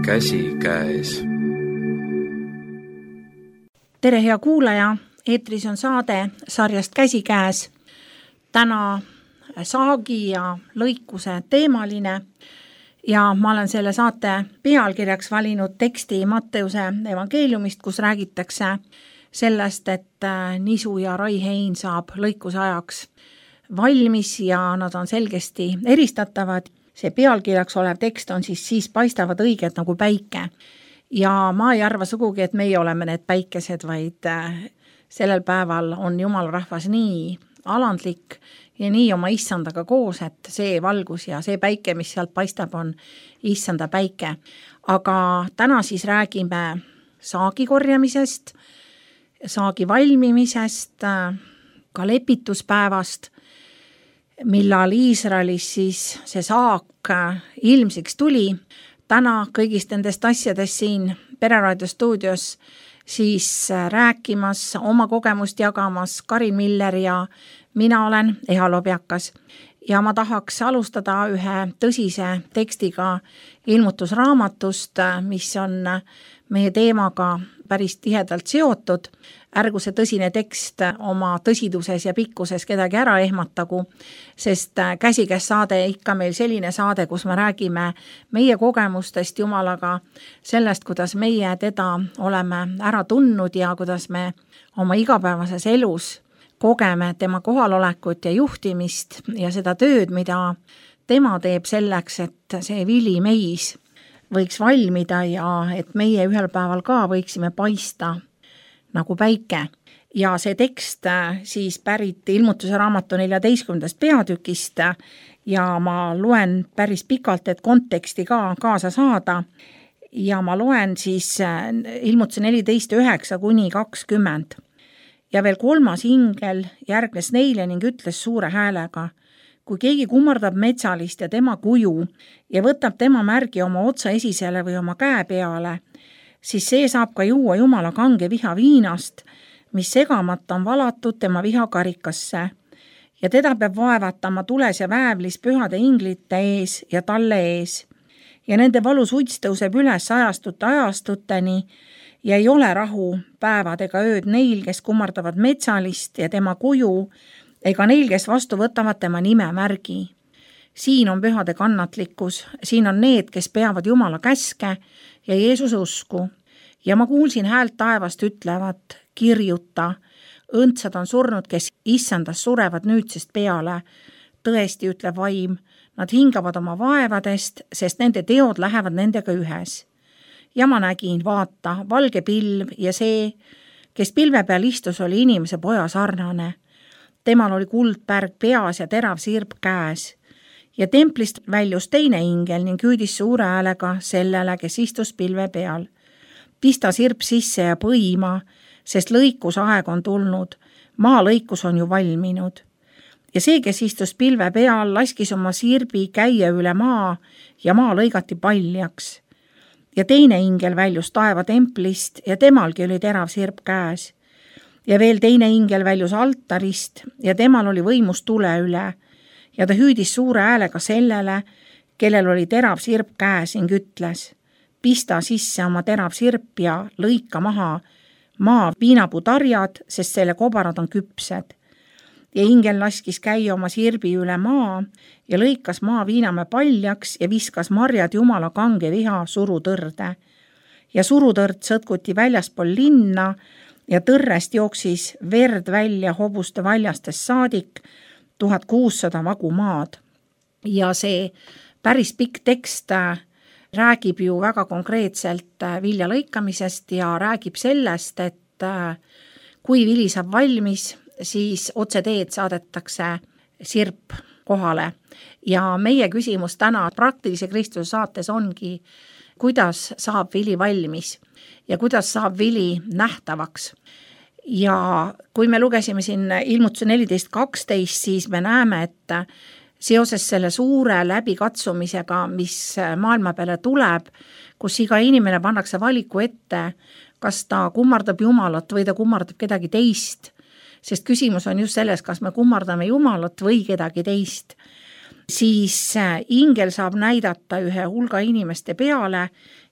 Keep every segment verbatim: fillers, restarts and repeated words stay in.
käsikäes. Tere hea kuulaja, eetris on saade sarjast Käsikäes. Täna saagi ja lõikuse teemaline ja ma olen selle saate pealkirjaks valinud teksti Matteuse evangeeliumist, kus räägitakse sellest, et Nisu ja Rai Hein saab lõikuse ajaks valmis ja nad on selgesti eristatavad. See pealkirjaks olev tekst on siis siis paistavad õiged nagu päike. Ja ma ei arva sugugi, et meie oleme need päikesed, vaid sellel päeval on Jumala rahvas nii alandlik ja nii oma issandaga koos, et see valgus ja see päike, mis sealt paistab, on issanda päike. Aga täna siis räägime saagi korjamisest, saagi valmimisest, ka lepituspäevast, millal Iisraelis siis see saak ilmsiks tuli. Täna kõigist nendest asjadest siin Pereraadio stuudios siis rääkimas, oma kogemust jagamas Karin Miller ja mina olen Eha Lobjakas. Ja ma tahaks alustada ühe tõsise tekstiga ilmutusraamatust, mis on meie teemaga päris tihedalt seotud. Ärgu see tõsine tekst oma tõsiduses ja pikkuses kedagi ära ehmatagu, sest Käsikäes saade ikka meil selline saade, kus me räägime meie kogemustest Jumalaga, sellest, kuidas meie teda oleme ära tundnud ja kuidas me oma igapäevases elus kogeme tema kohalolekut ja juhtimist ja seda tööd, mida tema teeb selleks, et see vili meis võiks valmida ja et meie ühel päeval ka võiksime paista nagu päike. Ja see tekst siis pärit ilmutuse raamatu neljateistkümnendast peatükist ja ma loen päris pikalt, et konteksti ka kaasa saada. Ja ma loen siis ilmutuse neliteist üheksa kuni kakskümmend. Ja veel kolmas ingel järgnes neile ning ütles suure häälega: kui keegi kummardab metsalist ja tema kuju ja võtab tema märgi oma otsa esisele või oma käe peale, siis see saab ka juua Jumala kange viha viinast, mis segamata on valatud tema vihakarikasse. Ja teda peab vaevatama tules ja väävlis pühade inglite ees ja talle ees. Ja nende valus uts tõuseb üles ajastute ajastuteni ja ei ole rahu päevad ega ööd neil, kes kummardavad metsalist ja tema kuju, ega neil, kes vastu võtavad tema nime märgi. Siin on pühade kannatlikkus, siin on need, kes peavad Jumala käske ja Jeesuse usku. Ja ma kuulsin häält taevast ütlevat: kirjuta, õndsad on surnud, kes issandas surevad nüüdsest peale. Tõesti, ütleb vaim, nad hingavad oma vaevadest, sest nende teod lähevad nendega ühes. Ja ma nägin, vaata, valge pilv ja see, kes pilve peal istus, oli inimese poja sarnane. Temal oli kuldpärg peas ja terav sirp käes. Ja templist väljus teine ingel ning hüüdis suure häälega sellele, kes istus pilve peal: pista sirp sisse ja põima, sest lõikusaeg on tulnud, maa lõikus on ju valminud. Ja see, kes istus pilve peal, laskis oma sirbi käia üle maa ja maa lõigati paljaks. Ja teine ingel väljus taeva templist ja temalgi oli terav sirp käes. Ja veel teine ingel väljus altarist ja temal oli võimus tule üle. Ja ta hüüdis suure häälega sellele, kellel oli terav sirp käes ning ütles: pista sisse oma terav sirp ja lõika maha maa viinaputarjad, sest selle kobarad on küpsed. Ja ingel laskis käia oma sirbi üle maa ja lõikas maa viiname paljaks ja viskas marjad Jumala kange viha surutõrde. Ja surutõrd sõtkuti väljaspool linna ja tõrrest jooksis verd välja hobuste valjastest saadik tuhat kuussada vagu maad. Ja see päris pikk tekst räägib ju väga konkreetselt vilja lõikamisest ja räägib sellest, et kui vili saab valmis, siis otse teed saadetakse sirp kohale. Ja meie küsimus täna praktilise Kristuse saates ongi, kuidas saab vili valmis ja kuidas saab vili nähtavaks. Ja kui me lugesime siin ilmutuse neliteist kaksteist, siis me näeme, et seoses selle suure läbikatsumisega, mis maailma peale tuleb, kus iga inimene pannakse valiku ette, kas ta kummardab Jumalat või ta kummardab kedagi teist, sest küsimus on just selles, kas me kummardame Jumalat või kedagi teist, siis ingel saab näidata ühe hulga inimeste peale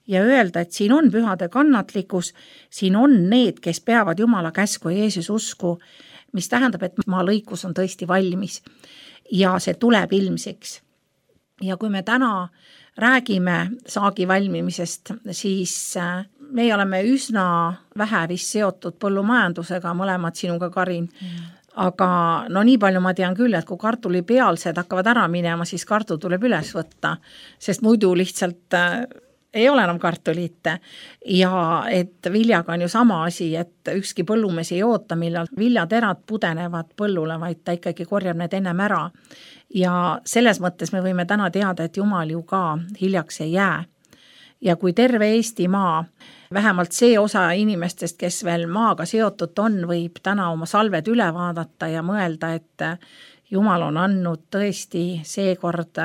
ja öelda, et siin on pühade kannatlikkus, siin on need, kes peavad Jumala käsku ja Jeesus usku, mis tähendab, et maa lõikus on tõesti valmis ja see tuleb ilmsiks. Ja kui me täna räägime saagi valmimisest, siis me oleme üsna vähe vist seotud põllumajandusega, mõlemad sinuga, Karin. Mm. Aga no nii palju ma tean küll, et kui kartulipealsed hakkavad ära minema, siis kartul tuleb üles võtta, sest muidu lihtsalt äh, ei ole enam kartulit. Ja et viljaga on ju sama asi, et ükski põllumees ei oota, millal viljaterad pudenevad põllule, vaid ta ikkagi korjab need ennem ära. Ja selles mõttes me võime täna teada, et Jumal ju ka hiljaks ei jää. Ja kui terve Eestimaa, vähemalt see osa inimestest, kes veel maaga seotud on, võib täna oma salved üle vaadata ja mõelda, et Jumal on andnud tõesti seekord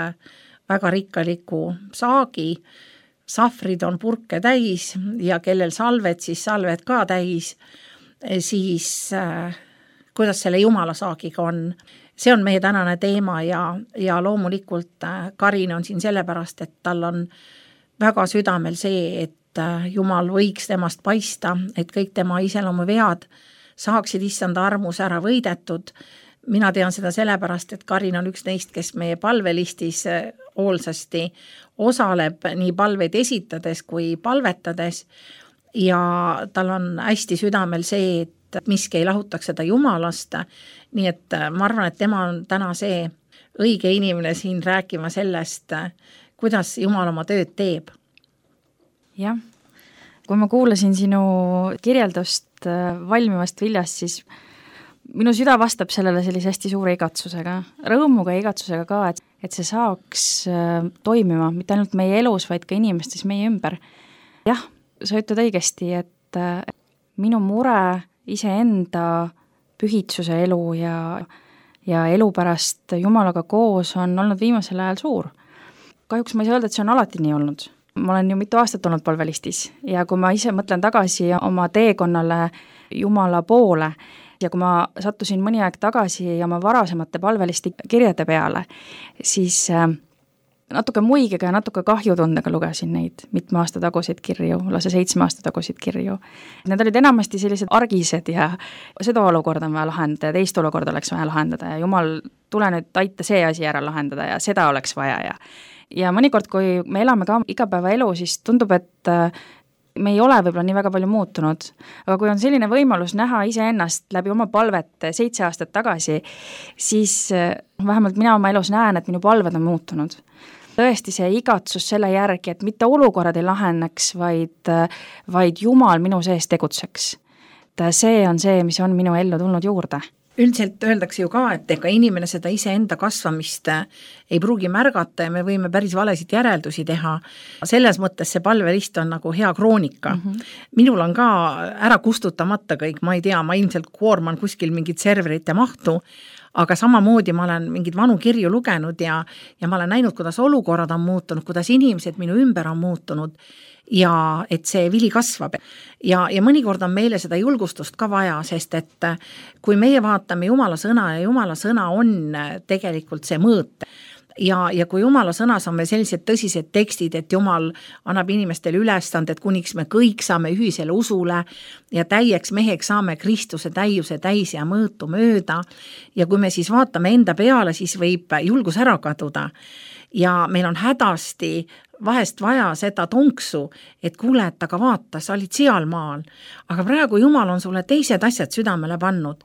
väga rikkaliku saagi, sahvrid on purke täis ja kellel salved, siis salved ka täis, siis äh, kuidas selle Jumala saagiga on. See on meie tänane teema ja, ja loomulikult Karin on siin sellepärast, et tal on väga südamel see, et Jumal võiks temast paista, et kõik tema iseloomu vead saaksid issanda armus ära võidetud. Mina tean seda sellepärast, et Karin on üks neist, kes meie palvelistis hoolsasti osaleb nii palveid esitades kui palvetades ja tal on hästi südamel see, et miski ei lahutaks seda Jumalast, nii et ma arvan, et tema on täna see õige inimene siin rääkima sellest, kuidas Jumal oma tööd teeb. Jah, kui ma kuulasin sinu kirjeldust valmivast viljast, siis minu süda vastab sellele sellise hästi suure igatsusega, rõõmuga ja igatsusega ka, et, et see saaks toimima, mitte ainult meie elus, vaid ka inimestes meie ümber. Jah, sa ütled õigesti, et minu mure iseenda pühitsuse elu ja, ja elu pärast Jumalaga koos on olnud viimasel ajal suur. Kahjuks ma ei saa öelda, et see on alati nii olnud. Ma olen ju mitu aastat olnud palvelistis ja kui ma ise mõtlen tagasi oma teekonnale Jumala poole ja kui ma sattusin mõni aeg tagasi oma varasemate palvelisti kirjade peale, siis natuke muigega ja natuke kahjutundega lugesin neid mitme aasta tagusid kirju, lase seitsme aasta tagusid kirju. Need olid enamasti sellised argised ja seda olukorda on vaja lahendada ja teist olukorda oleks vaja lahendada ja Jumal, tule nüüd aita see asi ära lahendada ja seda oleks vaja. Ja, ja mõnikord, kui me elame ka igapäevaelu, siis tundub, et me ei ole võib-olla nii väga palju muutunud, aga kui on selline võimalus näha iseennast läbi oma palvet seitse aastat tagasi, siis vähemalt mina oma elus näen, et minu palved on muutunud. Tõesti see igatsus selle järgi, et mitte olukorrad ei laheneks, vaid, vaid Jumal minu sees tegutseks. See on see, mis on minu ellu tulnud juurde. Üldiselt öeldakse ju ka, et ega inimene seda iseenda kasvamist ei pruugi märgata ja me võime päris valesid järeldusi teha. Selles mõttes see palvelist on nagu hea kroonika. Mm-hmm. Minul on ka ära kustutamata kõik, ma ei tea, ma ilmselt koorman kuskil mingit serverite mahtu, aga samamoodi ma olen mingid vanu kirju lugenud ja, ja ma olen näinud, kuidas olukorrad on muutunud, kuidas inimesed minu ümber on muutunud ja et see vili kasvab. Ja, ja mõnikord on meile seda julgustust ka vaja, sest et kui meie vaatame Jumala sõna ja Jumala sõna on tegelikult see mõõt, ja, ja kui Jumala sõnas on meil sellised tõsised tekstid, et Jumal annab inimestele ülestanded, kuniks me kõik saame ühisele usule ja täieks meheks saame Kristuse täiuse täis ja mõõtu mööda ja kui me siis vaatame enda peale, siis võib julgus ära kaduda ja meil on hädasti vahest vaja seda tonksu, et kuule, et aga vaata, sa olid seal maal, aga praegu Jumal on sulle teised asjad südamele pannud.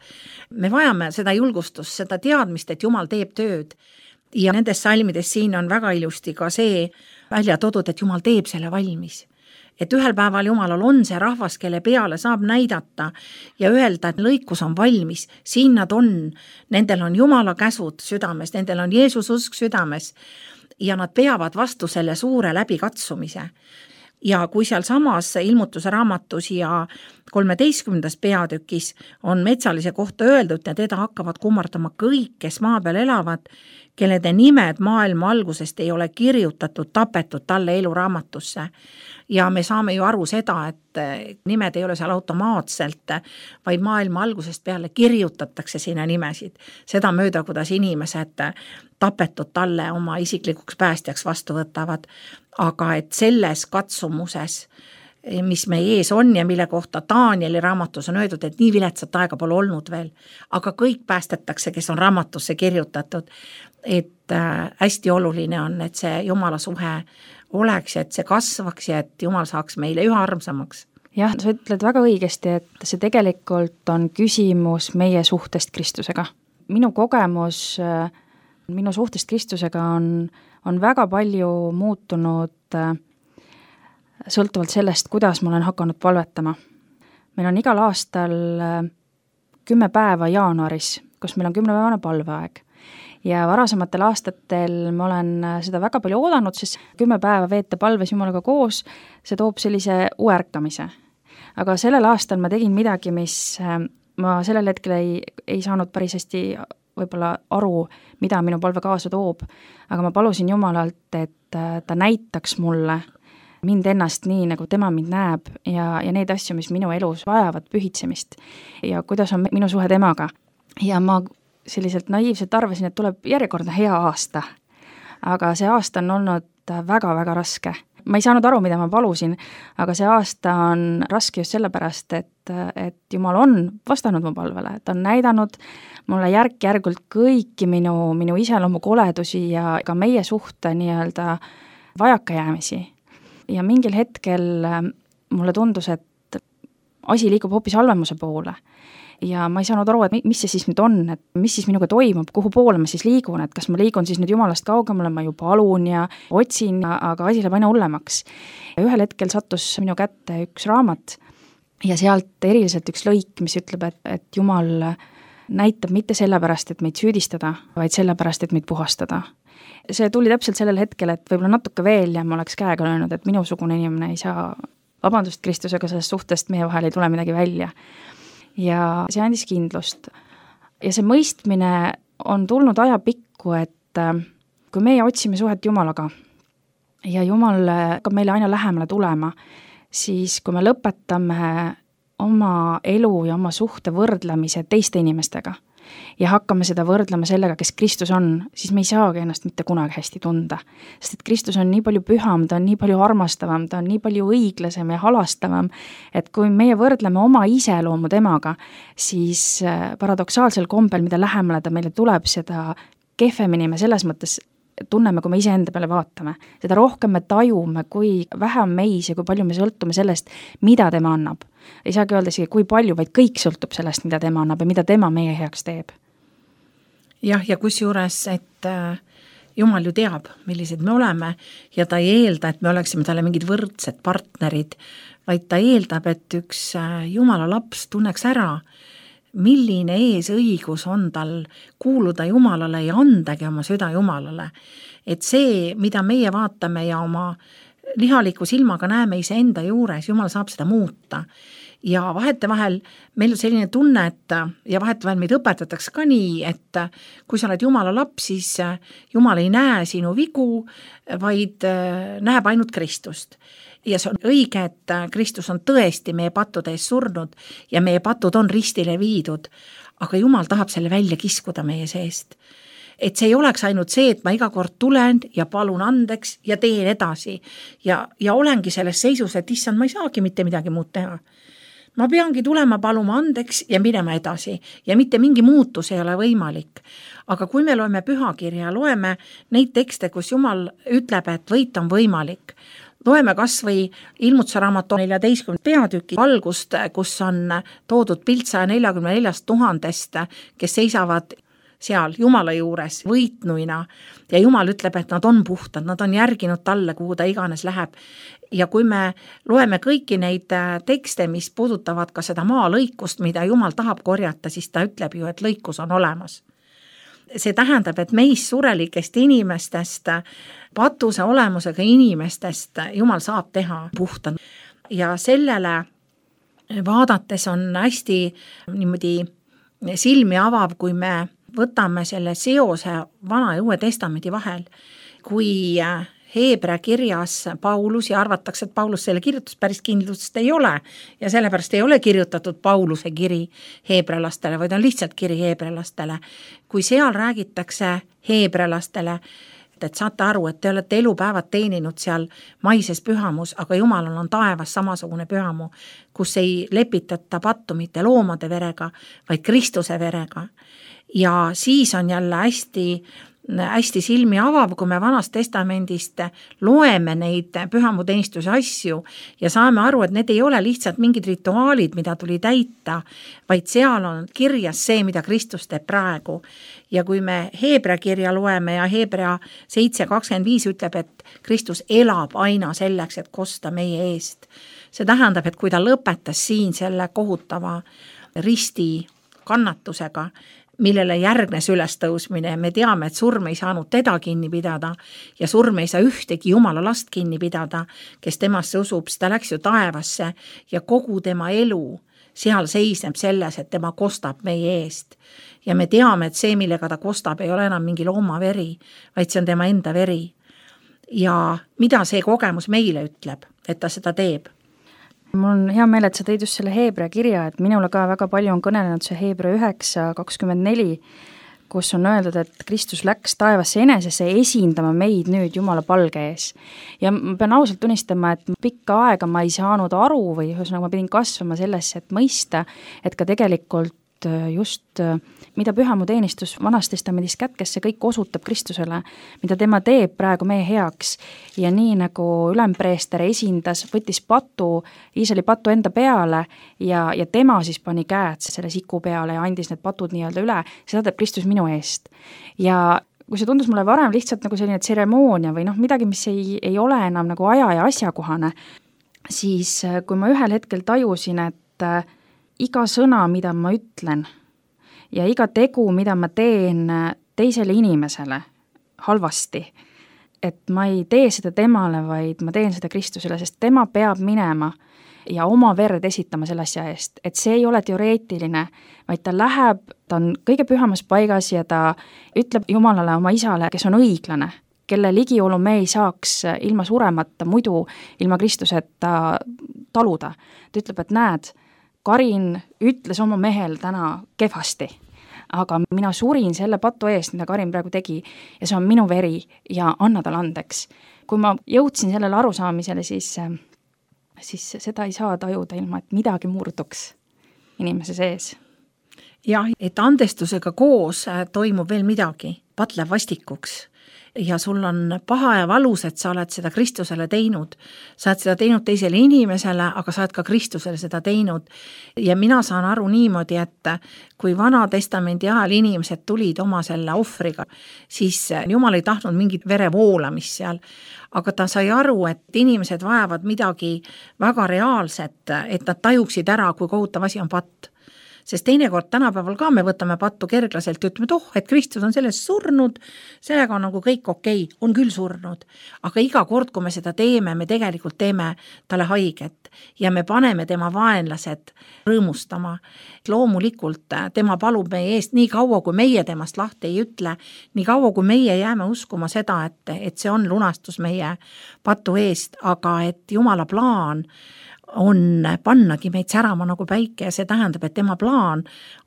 Me vajame seda julgustust, seda teadmist, et Jumal teeb tööd ja nendes salmides siin on väga ilusti ka see välja toodud, et Jumal teeb selle valmis. Et ühel päeval Jumalal on see rahvas, kelle peale saab näidata ja öelda, et lõikus on valmis, siin nad on, nendel on Jumala käsud südames, nendel on Jeesus usk südames ja nad peavad vastu selle suure läbikatsumise. Ja kui seal samas ilmutuse raamatus ja kolmeteistkümnendas peatükis on metsalise kohta öeldud ja teda hakkavad kummardama kõik, kes maa peal elavad, kellede nimed maailma algusest ei ole kirjutatud, tapetud talle eluraamatusse. Ja me saame ju aru seda, et nimed ei ole seal automaatselt, vaid maailma algusest peale kirjutatakse sinna nimesid. Seda mööda, kuidas inimesed tapetud talle oma isiklikuks päästjaks vastu võtavad. Aga et selles katsumuses, mis meie ees on ja mille kohta Danieli raamatus on öeldud, et nii viletsat aega pole olnud veel, aga kõik päästetakse, kes on raamatusse kirjutatud, et hästi oluline on, et see Jumala suhe oleks, et see kasvaks ja et Jumal saaks meile üha armsamaks. Jah, sa ütled väga õigesti, et see tegelikult on küsimus meie suhtest Kristusega. Minu kogemus minu suhtest Kristusega on, on väga palju muutunud sõltuvalt sellest, kuidas ma olen hakanud palvetama. Meil on igal aastal kümme päeva jaanuaris, kus meil on kümnepäevane palveaeg. Ja varasematel aastatel ma olen seda väga palju oodanud, sest kümme päeva veeta palves Jumalaga koos, see toob sellise uärkamise. Aga sellel aastal ma tegin midagi, mis ma sellel hetkel ei, ei saanud päris hästi võib-olla aru, mida minu palve kaasa toob. Aga ma palusin Jumalalt, et ta näitaks mulle mind ennast nii, nagu tema mind näeb ja, ja neid asju, mis minu elus vajavad pühitsemist ja kuidas on minu suhe temaga. Ja ma selliselt naiivselt arvasin, et tuleb järjekordne hea aasta. Aga see aasta on olnud väga-väga raske. Ma ei saanud aru, mida ma palusin, aga see aasta on raske just sellepärast, et, et Jumal on vastanud mu palvele. Ta on näidanud mulle järk-järgult kõiki minu, minu iseloomu koledusi ja ka meie suhte nii-öelda vajakajäämisi. Ja mingil hetkel mulle tundus, et asi liigub hoopis halvemuse poole. Ja ma ei saanud aru, et mis see siis nüüd on, et mis siis minuga toimub, kuhu poole ma siis liigun, et kas ma liigun siis nüüd Jumalast kaugemale, ma ju palun ja otsin, aga asi läheb aina hullemaks. Ja ühel hetkel sattus minu kätte üks raamat ja sealt eriliselt üks lõik, mis ütleb, et, et Jumal näitab mitte sellepärast, et meid süüdistada, vaid sellepärast, et meid puhastada. See tuli täpselt sellel hetkel, et võib-olla natuke veel ja ma oleks käega löönud, et minusugune inimene ei saa vabandust Kristusega sellest suhtest, meie vahel ei tule midagi välja. Ja see andis kindlust. Ja see mõistmine on tulnud ajapikku, et kui meie otsime suhet Jumalaga ja Jumal hakkab meile aina lähemale tulema, siis kui me lõpetame oma elu ja oma suhte võrdlemise teiste inimestega ja hakkame seda võrdlema sellega, kes Kristus on, siis me ei saagi ennast mitte kunagi hästi tunda. Sest et Kristus on nii palju püham, ta on nii palju armastavam, ta on nii palju õiglasem ja halastavam, et kui meie võrdleme oma iseloomu temaga, siis paradoksaalsel kombel, mida lähemale ta meile tuleb, seda kehvemini me selles mõttes tunneme, kui me ise enda peale vaatame. Seda rohkem me tajume, kui vähe on meis ja kui palju me sõltume sellest, mida tema annab. Ei saagi öelda isegi, kui palju, vaid kõik sõltub sellest, mida tema annab ja mida tema meie heaks teeb. Jah, ja kusjuures, et Jumal ju teab, millised me oleme ja ta ei eelda, et me oleksime talle mingid võrdsed partnerid, vaid ta eeldab, et üks Jumala laps tunneks ära, milline eesõigus on tal kuuluda Jumalale ja andagi oma süda Jumalale. Et see, mida meie vaatame ja oma lihaliku silmaga näeme ise enda juures, Jumal saab seda muuta. Ja vahetevahel meil on selline tunne, et ja vahetevahel meid õpetatakse ka nii, et kui sa oled Jumala laps, siis Jumal ei näe sinu vigu, vaid näeb ainult Kristust. Ja see on õige, et Kristus on tõesti meie pattude ees surnud ja meie patud on ristile viidud, aga Jumal tahab selle välja kiskuda meie seest. Et see ei oleks ainult see, et ma iga kord tulen ja palun andeks ja teen edasi ja, ja olengi selles seisus, et issand, ma ei saagi mitte midagi muud teha. Ma peangi tulema paluma andeks ja minema edasi ja mitte mingi muutus ei ole võimalik. Aga kui me loeme pühakirja, loeme neid tekste, kus Jumal ütleb, et võit on võimalik, loeme kas või Ilmutuse raamatu neljateistkümnenda peatüki algust, kus on toodud pilt saja neljakümne neljast tuhandest, kes seisavad seal Jumala juures võitnuina ja Jumal ütleb, et nad on puhtad, nad on järginud talle, kuhu ta iganes läheb. Ja kui me loeme kõiki neid tekste, mis puudutavad ka seda maalõikust, mida Jumal tahab korjata, siis ta ütleb ju, et lõikus on olemas. See tähendab, et meist surelikest inimestest, patuse olemusega inimestest Jumal saab teha puhtad. Ja sellele vaadates on hästi niimoodi silmi avav, kui me võtame selle seose Vana ja Uue Testamendi vahel, kui Heebrea kirjas Paulus ja arvatakse, et Paulus selle kirjutus päris kindlust ei ole ja sellepärast ei ole kirjutatud Pauluse kiri heebrealastele, vaid on lihtsalt kiri heebrealastele. Kui seal räägitakse heebrealastele, et saate aru, et te olete elupäevad teeninud seal maises pühamus, aga Jumalal on taevas samasugune pühamu, kus ei lepitata pattu mitte loomade verega, vaid Kristuse verega. Ja siis on jälle hästi hästi silmi avav, kui me Vanast Testamendist loeme neid pühamuteenistuse asju ja saame aru, et need ei ole lihtsalt mingid rituaalid, mida tuli täita, vaid seal on kirjas see, mida Kristus teeb praegu. Ja kui me Heebrea kirja loeme ja Heebrea seitse kakskümmend viis ütleb, et Kristus elab aina selleks, et kosta meie eest. See tähendab, et kui ta lõpetas siin selle kohutava risti kannatusega, millele järgnes ülestõusmine, me teame, et surm ei saanud teda kinni pidada ja surm ei saa ühtegi Jumala last kinni pidada, kes temasse usub, ta läks ju taevasse ja kogu tema elu seal seisneb selles, et tema kostab meie eest. Ja me teame, et see, millega ta kostab, ei ole enam mingi looma veri, vaid see on tema enda veri. Ja mida see kogemus meile ütleb, et ta seda teeb? Mul on hea meel, et sa tõid just selle Heebrea kirja, et minule ka väga palju on kõnelenud see Heebrea üheksa kakskümmend neli, kus on öeldud, et Kristus läks taevasse enesesse esindama meid nüüd Jumala palge ees. Ja ma pean ausalt tunnistama, et pikka aega ma ei saanud aru või ühesõnaga ma pidin kasvama sellesse, et mõista, et ka tegelikult just mida pühamuteenistus Vanas Testamendis kätkes, see kõik osutab Kristusele, mida tema teeb praegu meie heaks. Ja nii nagu ülempreester esindas, võttis patu, Iisraeli patu enda peale ja, ja tema siis pani käed selle siku peale ja andis need patud nii-öelda üle, seda teeb Kristus minu eest. Ja kui see tundus mulle varem lihtsalt nagu selline tseremoonia või noh, midagi, mis ei, ei ole enam nagu aja ja asjakohane, siis kui ma ühel hetkel tajusin, et iga sõna, mida ma ütlen ja iga tegu, mida ma teen teisele inimesele halvasti, et ma ei tee seda temale, vaid ma teen seda Kristusele, sest tema peab minema ja oma verd esitama selle asja eest, et see ei ole teoreetiline, vaid ta läheb, ta on kõige pühamas paigas ja ta ütleb Jumalale, oma isale, kes on õiglane, kelle ligiolu me ei saaks ilma suremata, muidu ilma Kristuseta taluda. Ta ütleb, et näed, Karin ütles oma mehel täna kehvasti, aga mina surin selle patu eest, mida Karin praegu tegi ja see on minu veri ja anna tal andeks. Kui ma jõudsin sellele arusaamisele, siis, siis seda ei saa tajuda ilma, et midagi murduks inimese sees. Jah, et andestusega koos toimub veel midagi, patleb vastikuks. Ja sul on paha ja valus, et sa oled seda Kristusele teinud. Sa oled seda teinud teisele inimesele, aga sa oled ka Kristusele seda teinud. Ja mina saan aru niimoodi, et kui Vana Testamendi ajal inimesed tulid oma selle ohvriga, siis Jumal ei tahtnud mingit verevoolamist seal. Aga ta sai aru, et inimesed vajavad midagi väga reaalset, et nad tajuksid ära, kui kohutav asi on patt. Sest teinekord tänapäeval ka me võtame pattu kerglaselt ja ütleme, et oh, et Kristus on selles surnud, sellega on nagu kõik okei, on küll surnud. Aga iga kord, kui me seda teeme, me tegelikult teeme talle haiget ja me paneme tema vaenlased rõõmustama. Loomulikult tema palub meie eest nii kaua, kui meie temast lahti ei ütle, nii kaua, kui meie jääme uskuma seda, et, et see on lunastus meie patu eest, aga et Jumala plaan on pannagi meid särama nagu päike ja see tähendab, et tema plaan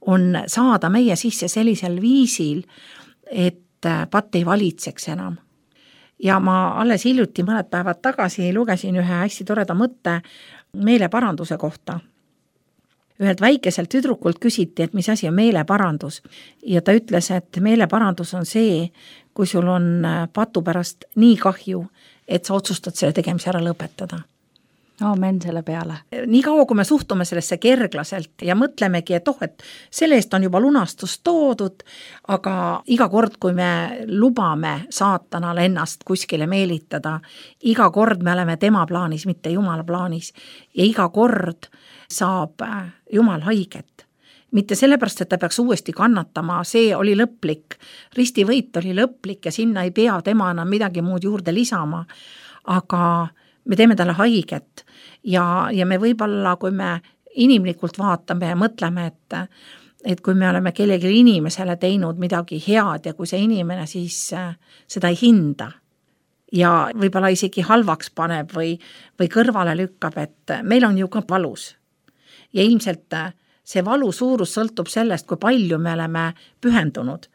on saada meie sisse sellisel viisil, et patt ei valitseks enam. Ja ma alles hiljuti mõned päevad tagasi lugesin ühe hästi toreda mõtte meeleparanduse kohta. Ühelt väikeselt tüdrukult küsiti, et mis asi on meeleparandus ja ta ütles, et meeleparandus on see, kui sul on patu pärast nii kahju, et sa otsustad selle tegemise ära lõpetada. Aamen selle peale. Nii kaua, kui me suhtume sellesse kerglaselt ja mõtlemegi, et oh, et selle eest on juba lunastus toodud, aga iga kord, kui me lubame saatanal ennast kuskile meelitada, iga kord me oleme tema plaanis, mitte Jumala plaanis ja iga kord saab Jumal haiget. Mitte sellepärast, et ta peaks uuesti kannatama, see oli lõplik, ristivõit oli lõplik ja sinna ei pea tema enam midagi muud juurde lisama, aga me teeme talle haiget ja, ja me võib-olla, kui me inimlikult vaatame ja mõtleme, et, et kui me oleme kellelegi inimesele teinud midagi head ja kui see inimene siis seda ei hinda ja võib-olla isegi halvaks paneb või, või kõrvale lükkab, et meil on ju ka valus. Ja ilmselt see valu suurus sõltub sellest, kui palju me oleme pühendunud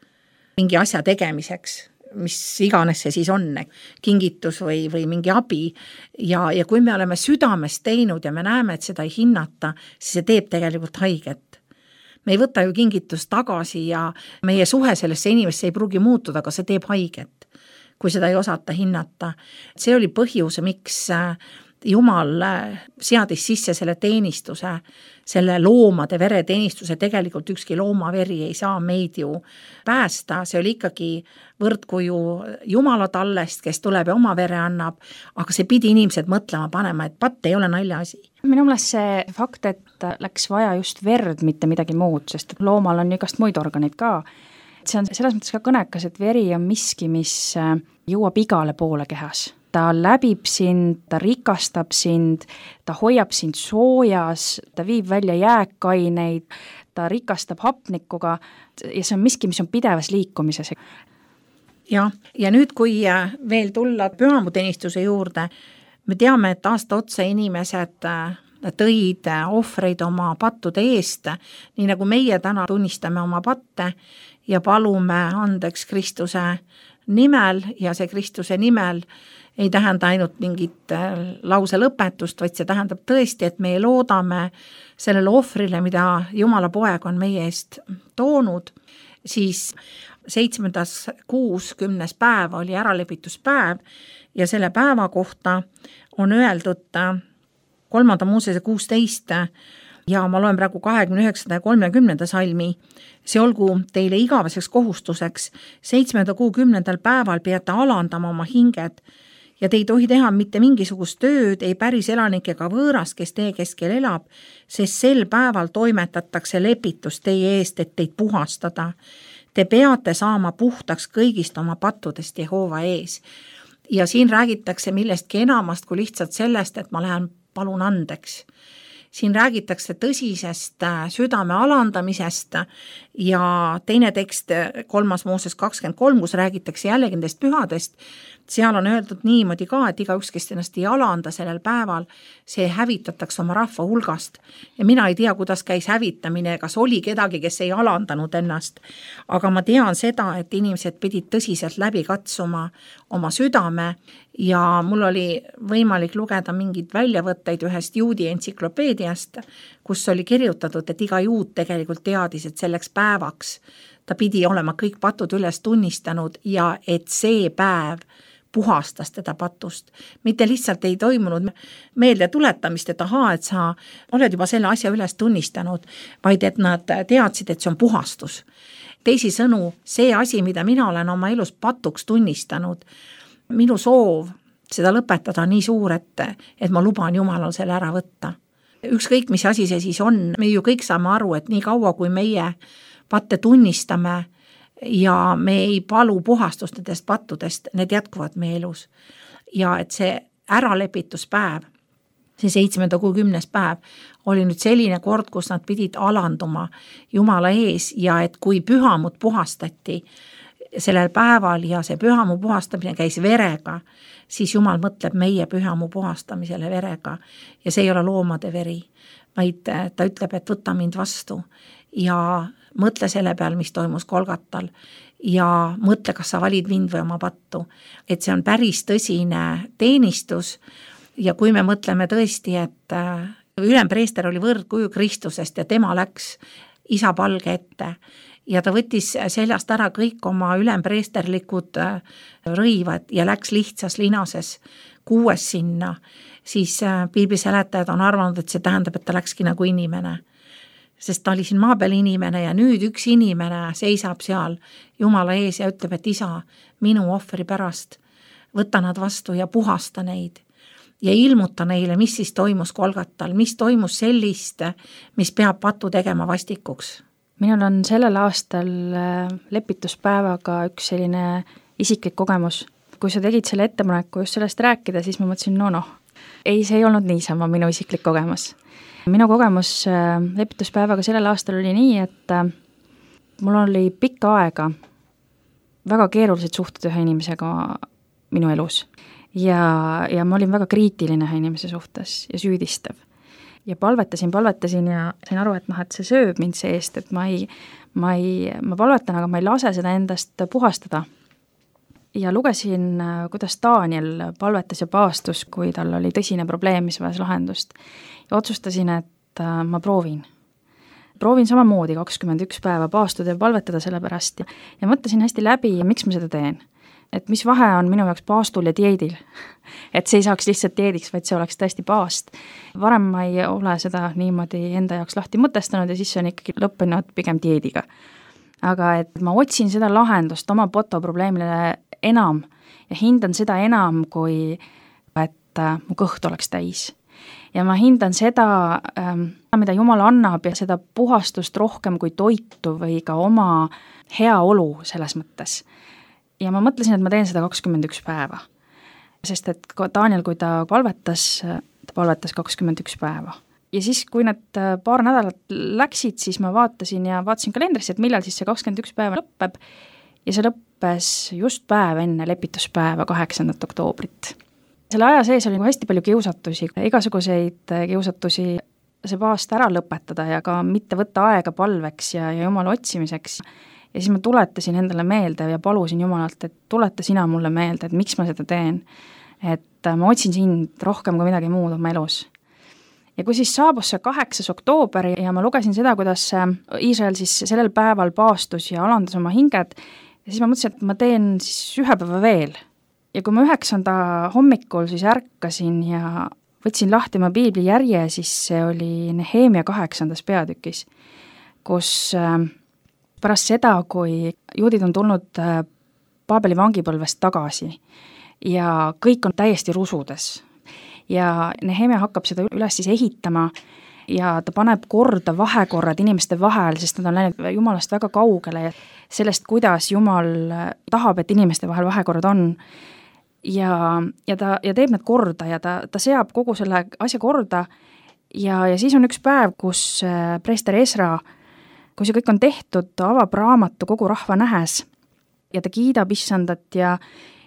mingi asja tegemiseks, mis iganes see siis on, kingitus või, või mingi abi. Ja, ja kui me oleme südames teinud ja me näeme, et seda ei hinnata, siis see teeb tegelikult haiget. Me ei võta ju kingitust tagasi ja meie suhe sellesse inimesse ei pruugi muutuda, aga see teeb haiget, kui seda ei osata hinnata. See oli põhjus, miks Jumal seadis sisse selle teenistuse, selle loomade vereteenistuse, tegelikult ükski loomaveri ei saa meid ju päästa, see oli ikkagi võrdkuju Jumala tallest, kes tuleb ja oma vere annab, aga see pidi inimesed mõtlema panema, et patt ei ole nalja asi. Minu meelest see fakt, et läks vaja just verd, mitte midagi muud, sest loomal on igast muid organid ka. See on selles mõttes ka kõnekas, et veri on miski, mis jõuab igale poole kehas. Ta läbib sind, ta rikastab sind, ta hoiab sind soojas, ta viib välja jääkaineid, ta rikastab hapnikuga ja see on miski, mis on pidevas liikumises. Ja, ja nüüd, kui veel tulla pühamuteenistuse juurde, me teame, et aasta otsa inimesed tõid ohvreid oma pattude eest, nii nagu meie täna tunnistame oma patte ja palume andeks Kristuse nimel ja see Kristuse nimel ei tähenda ainult mingit lause lõpetust, vaid see tähendab tõesti, et me loodame sellele ohvrile, mida Jumala poeg on meie eest toonud, siis seitsmendas kuus kümnes päev oli äralepituspäev ja selle päeva kohta on öeldud kolmanda Moosese kuusteist ja ma loen praegu kahekümne üheksanda ja kolmekümnenda salmi. See olgu teile igaveseks kohustuseks, seitsmenda kuu kümnendal päeval peate alandama oma hinged ja te ei tohi teha mitte mingisugust tööd, ei päris elanik ega võõras, kes teie keskel elab, sest sel päeval toimetatakse lepitus teie eest, et teid puhastada. Te peate saama puhtaks kõigist oma pattudest Jehova ees. Ja siin räägitakse millestki enamast kui lihtsalt sellest, et ma lähen palun andeks. Siin räägitakse tõsisest südame alandamisest ja teine tekst, kolmas Mooses kakskümmend kolm, kus räägitakse jällegi nendest pühadest, seal on öeldud niimoodi ka, et igaüks, kes ennast ei alanda sellel päeval, see hävitatakse oma rahva hulgast. Ja mina ei tea, kuidas käis hävitamine, kas oli kedagi, kes ei alandanud ennast. Aga ma tean seda, et inimesed pidid tõsiselt läbi katsuma oma südame ja mul oli võimalik lugeda mingid väljavõtteid ühest juudi entsüklopeediast, kus oli kirjutatud, et iga juud tegelikult teadis, et selleks päevaks ta pidi olema kõik patud üles tunnistanud ja et see päev puhastas teda patust. Mitte lihtsalt ei toimunud meelde tuletamist, et ahaa, et sa oled juba selle asja üles tunnistanud, vaid et nad teadsid, et see on puhastus. Teisi sõnu, see asi, mida mina olen oma elus patuks tunnistanud, minu soov seda lõpetada nii suur, et, et ma luban Jumalal selle ära võtta. Ükskõik, mis asi see siis on, me ju kõik saame aru, et nii kaua, kui meie patte tunnistame ja me ei palu puhastust nendest pattudest, need jätkuvad meie elus. Ja et see äralepituspäev, see seitsmenda kuu kümnes päev, oli nüüd selline kord, kus nad pidid alanduma Jumala ees ja et kui pühamut puhastati sellel päeval ja see pühamu puhastamine käis verega, siis Jumal mõtleb meie pühamu puhastamisele verega ja see ei ole loomade veri, vaid ta ütleb, et võta mind vastu ja mõtle selle peal, mis toimus Golgatal ja mõtle, kas sa valid mind või oma pattu. Et see on päris tõsine teenistus ja kui me mõtleme tõesti, et ülempreester oli võrdkuju Kristusest ja tema läks isa palge ette ja ta võttis seljast ära kõik oma ülempreesterlikud rõivad ja läks lihtsas linases kuues sinna, siis piibliseletajad on arvanud, et see tähendab, et ta läkski nagu inimene. Sest ta oli siin maa peal inimene ja nüüd üks inimene seisab seal Jumala ees ja ütleb, et isa, minu ohvri pärast, võta nad vastu ja puhasta neid ja ilmuta neile, mis siis toimus Golgatal, mis toimus sellist, mis peab patu tegema vastikuks. Minul on sellel aastal lepituspäevaga üks selline isiklik kogemus. Kui sa tegid selle ettepaneku just sellest rääkida, siis ma mõtlesin, no noh, ei, see ei olnud niisama minu isiklik kogemus. Minu kogemus lepituspäevaga sellel aastal oli nii, et mul oli pikka aega väga keerulised suhted ühe inimesega minu elus ja, ja ma olin väga kriitiline ühe inimese suhtes ja süüdistav. Ja palvetasin, palvetasin ja sain aru, et noh, et see sööb mind seest, et ma ei, ma ei, ma palvetan, aga ma ei lase seda endast puhastada. Ja lugesin, kuidas Daniel palvetas ja paastus, kui tal oli tõsine probleem, mis vajas lahendust. Ja otsustasin, et ma proovin. Proovin samamoodi kakskümmend üks päeva paastuda ja palvetada selle pärast. Ja mõtlesin hästi läbi, miks ma seda teen. Et mis vahe on minu jaoks paastul ja dieedil. Et see ei saaks lihtsalt dieediks, vaid see oleks tõesti paast. Varem ma ei ole seda niimoodi enda jaoks lahti mõtestanud ja siis see on ikkagi lõppenud pigem dieediga. Aga et ma otsin seda lahendust oma poto probleemile enam ja hindan seda enam, kui et mu kõht oleks täis. Ja ma hindan seda, mida Jumal annab ja seda puhastust rohkem kui toitu või ka oma hea olu selles mõttes. Ja ma mõtlesin, et ma teen seda kakskümmend üks päeva. Sest et Daniel, kui ta palvetas, ta palvetas kakskümmend üks päeva. Ja siis, kui need paar nädalat läksid, siis ma vaatasin ja vaatasin kalendrisse, et millal siis see kakskümmend üks päeva lõppeb. Ja see lõppes just päev enne lepituspäeva kaheksandat oktoobrit. Selle aja sees oli hästi palju kiusatusi, igasuguseid kiusatusi see paast ära lõpetada ja ka mitte võtta aega palveks ja, ja Jumala otsimiseks. Ja siis ma tuletasin endale meelde ja palusin Jumalalt, et tuleta sina mulle meelde, et miks ma seda teen. Et ma otsin sind rohkem kui midagi muud oma elus. Ja kui siis saabus see kaheksas oktoober ja ma lugesin seda, kuidas Iisrael siis sellel päeval paastus ja alandas oma hinged, ja siis ma mõtlesin, et ma teen siis ühe päeva veel. Ja kui ma üheksanda hommikul siis ärkasin ja võtsin lahti oma piibli järje, siis see oli Nehemia kaheksandas peatükis, kus pärast seda, kui juudid on tulnud Paabeli vangipõlvest tagasi ja kõik on täiesti rusudes ja Nehemia hakkab seda üles siis ehitama ja ta paneb korda vahekorrad inimeste vahel, sest nad on läinud Jumalast väga kaugele ja sellest, kuidas Jumal tahab, et inimeste vahel vahekorrad on. Ja, ja ta ja teeb need korda ja ta, ta seab kogu selle asja korda ja, ja siis on üks päev, kus preester Esra, kui see kõik on tehtud, ta avab raamatu kogu rahva nähes ja ta kiidab issandat ja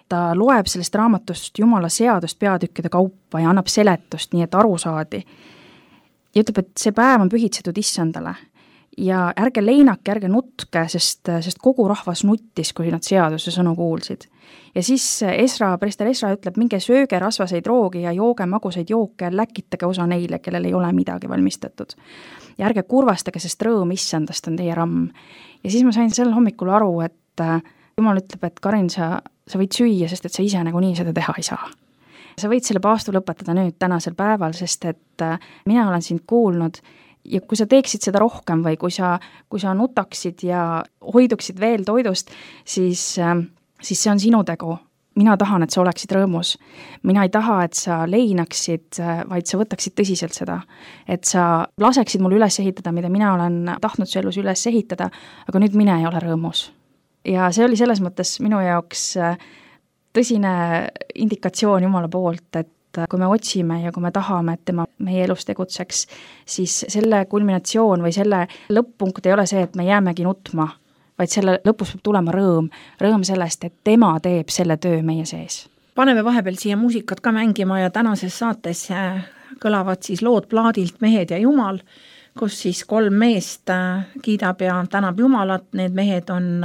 ta loeb sellest raamatust Jumala seadust peatükkide kaupa ja annab seletust, nii et aru saadi. Ja ütleb, et see päev on pühitsetud issandale ja ärge leinake, ärge nutke, sest, sest kogu rahvas nuttis, kui nad seaduse sõnu kuulsid. Ja siis Esra, preester Esra ütleb, minge sööge rasvaseid roogi ja jooge magusaid jooke ja läkitage osa neile, kellel ei ole midagi valmistatud. Ja ärge kurvastage, sest rõõm issandast on teie ramm. Ja siis ma sain sel hommikul aru, et Jumal ütleb, et Karin, sa, sa võid süüa, sest et sa ise nagu nii seda teha ei saa. Sa võid selle paastu lõpetada nüüd tänasel päeval, sest et mina olen sind kuulnud ja kui sa teeksid seda rohkem või kui sa, kui sa nutaksid ja hoiduksid veel toidust, siis, siis see on sinu tegu. Mina tahan, et sa oleksid rõõmus. Mina ei taha, et sa leinaksid, vaid sa võtaksid tõsiselt seda. Et sa laseksid mul üles ehitada, mida mina olen tahtnud su elus üles ehitada, aga nüüd mine ei ole rõõmus. Ja see oli selles mõttes minu jaoks tõsine indikatsioon Jumala poolt, et kui me otsime ja kui me tahame, et tema meie elus tegutseks, siis selle kulminatsioon või selle lõpp-punkt ei ole see, et me jäämegi nutma, vaid selle lõpus peab tulema rõõm, rõõm sellest, et tema teeb selle töö meie sees. Paneme vahepeal siia muusikat ka mängima ja tänases saates kõlavad siis lood plaadilt Mehed ja Jumal, kus siis kolm meest kiidab ja tänab Jumalat, need mehed on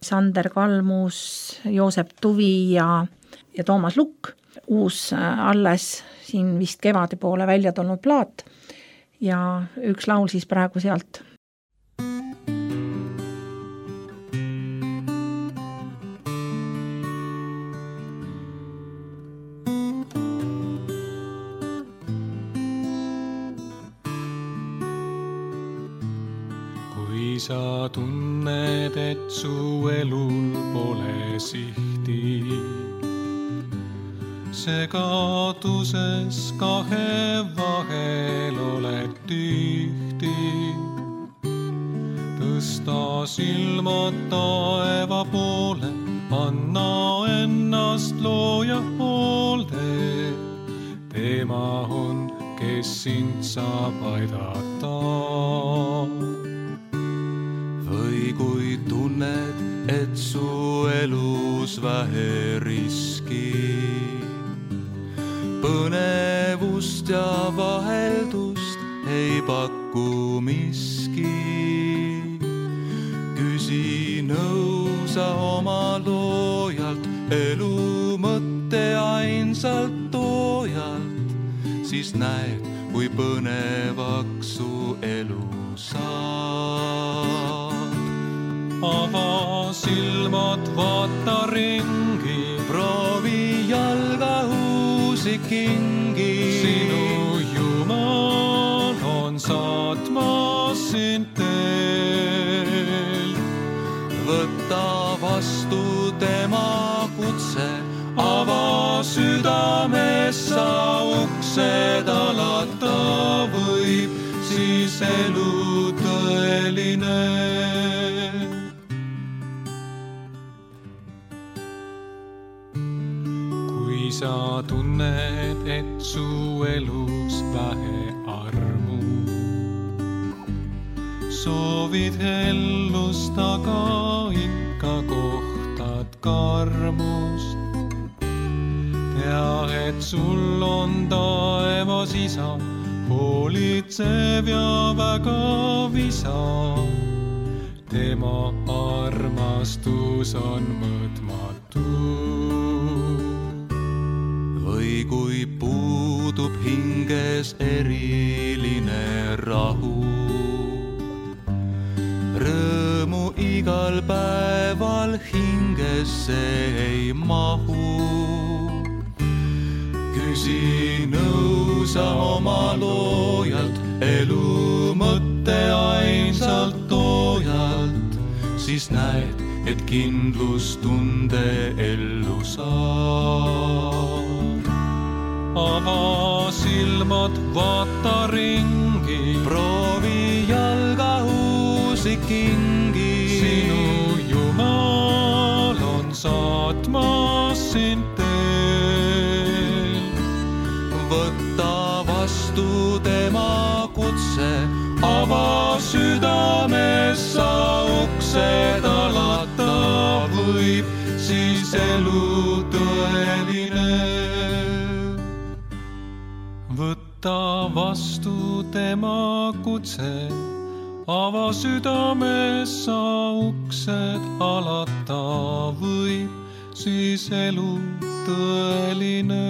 Sander Kalmus, Joosep Tuvi ja, ja Toomas Lukk. Uus alles siin vist kevade poole välja tulnud plaat ja üks laul siis praegu sealt. Kui sa tunned, et su elul pole sihti, segaduses kahe vahel oled tühti. Tõsta silmad taeva poole, anna ennast looja hoolde. Tema on kes sind saab aidata. Või kui tunned, et su elus vähe riski, põnevust ja vaheldust ei paku miski. Küsi nõu sa oma loojalt, elu mõtte ainsalt toojalt, siis näed, kui põnevaks su elu saab. Ava silmad, vaata ringi, proovi jalga uusi kingi. Sinu Jumal on saatmas sind teel. Võta vastu tema kutse, ava südames sa uksed alata võib, siis elu tõeline. Kui sa tunned, et su elus vähe armu, soovid hellust, aga ikka kohtad karmust. Tea, et sul on taevas isa, hoolitsev ja väga visa. Tema armastus on mõõtmatu. Või kui puudub hinges eriline rahu, rõõmu igal päeval hingesse ei mahu. Küsi nõu sa oma loojalt, elu mõtte ainsalt toojalt, siis näed, et kindlustunde ellu saab. Ava silmad, vaata ringi, proovi jalga uusi kingi. Sinu Jumal on saatmas sind teel. Võta vastu tema kutse, ava südames sa uksed alata võib, siis elu tõeline. Võta vastu tema kutse, ava südames sa uksed alata võib, siis elu tõeline.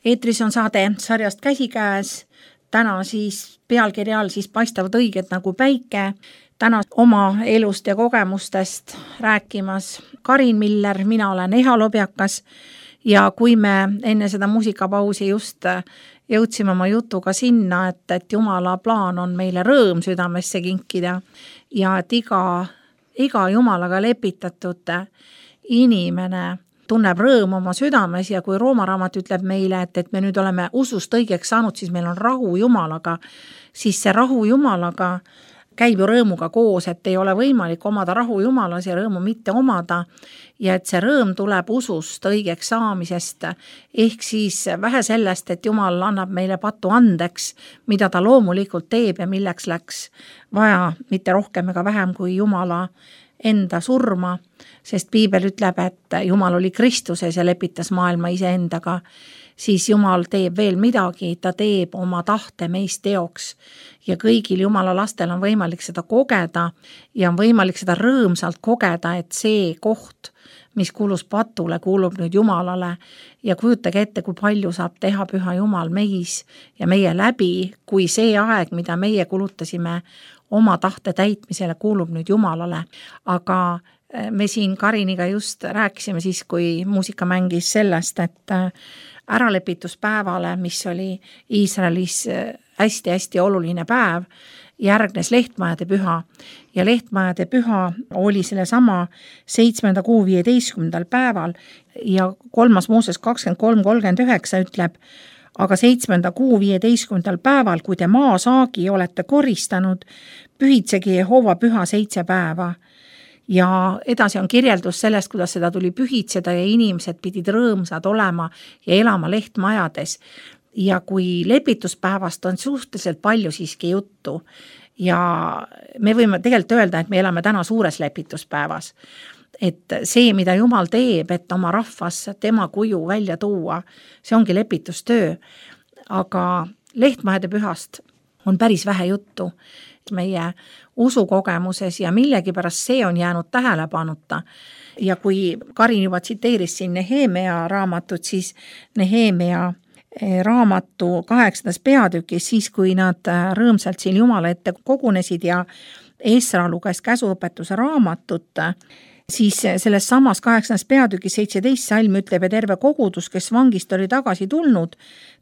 Eetris on saade sarjast Käsikäes. Täna siis pealkirja all siis paistavad õiged nagu päike. Täna oma elust ja kogemustest rääkimas Karin Miller, mina olen Eha Lobjakas ja kui me enne seda muusikapausi just jõudsime oma jutuga sinna, et, et Jumala plaan on meile rõõm südamesse kinkida ja et iga, iga Jumalaga lepitatud inimene tunneb rõõm oma südames ja kui Rooma raamat ütleb meile, et, et me nüüd oleme usust õigeks saanud, siis meil on rahu Jumalaga, siis see rahu Jumalaga käib ju rõõmuga koos, et ei ole võimalik omada rahu Jumalas ja rõõmu mitte omada ja et see rõõm tuleb usust õigeks saamisest, ehk siis vähe sellest, et Jumal annab meile patu andeks, mida ta loomulikult teeb ja milleks läks vaja mitte rohkem ega vähem kui Jumala enda surma, sest Piibel ütleb, et Jumal oli Kristuses ja lepitas maailma iseendaga, siis Jumal teeb veel midagi, ta teeb oma tahte meist teoks ja kõigil Jumala lastel on võimalik seda kogeda ja on võimalik seda rõõmsalt kogeda, et see koht, mis kuulus patule, kuulub nüüd Jumalale ja kujutage ette, kui palju saab teha Püha Jumal meis ja meie läbi, kui see aeg, mida meie kulutasime oma tahte täitmisele, kuulub nüüd Jumalale, aga me siin Kariniga just rääkisime siis, kui muusika mängis sellest, et äralepituspäevale, mis oli Iisraelis hästi-hästi oluline päev, järgnes lehtmajade püha ja lehtmajade püha oli selle sama seitsmenda kuu viieteistkümnendal päeval ja kolmas Mooses kakskümmend kolm kolmkümmend üheksa ütleb, aga seitsmenda kuu viieteistkümnendal päeval, kui te maasaagi olete koristanud, pühitsegi Jehova püha seitse päeva ja edasi on kirjeldus sellest, kuidas seda tuli pühitseda ja inimesed pidid rõõmsad olema ja elama lehtmajades. Ja kui lepituspäevast on suhteliselt palju siiski juttu ja me võime tegelikult öelda, et me elame täna suures lepituspäevas, et see, mida Jumal teeb, et oma rahvas tema kuju välja tuua, see ongi lepitustöö, aga lehtmajade pühast on päris vähe juttu meie usukogemuses ja millegipärast see on jäänud tähelepanuta. Ja kui Karin juba tsiteeris siin Nehemia raamatut, siis Nehemia raamatu kaheksandas peatükis, siis kui nad rõõmsalt siin Jumala ette kogunesid ja Esra luges käsuõpetuse raamatut, siis selles samas kaheksandas peatükis seitseteist salm ütleb, ja terve kogudus, kes vangist oli tagasi tulnud,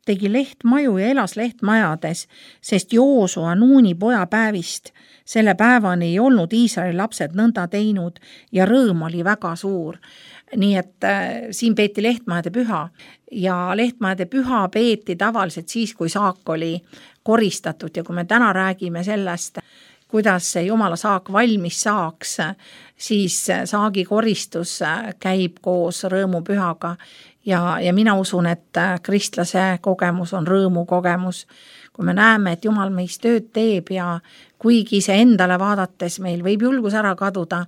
tegi lehtmaju ja elas lehtmajades, sest Joosua Nuuni poja päevist selle päevani ei olnud Iisraeli lapsed nõnda teinud ja rõõm oli väga suur. Nii et äh, siin peeti lehtmajade püha ja lehtmajade püha peeti tavaliselt siis, kui saak oli koristatud ja kui me täna räägime sellest, kuidas see Jumala saak valmis saaks, siis saagi koristus käib koos rõõmupühaga ja, ja mina usun, et kristlase kogemus on rõõmu kogemus. Kui me näeme, et Jumal meis tööd teeb ja kuigi see endale vaadates meil võib julgus ära kaduda,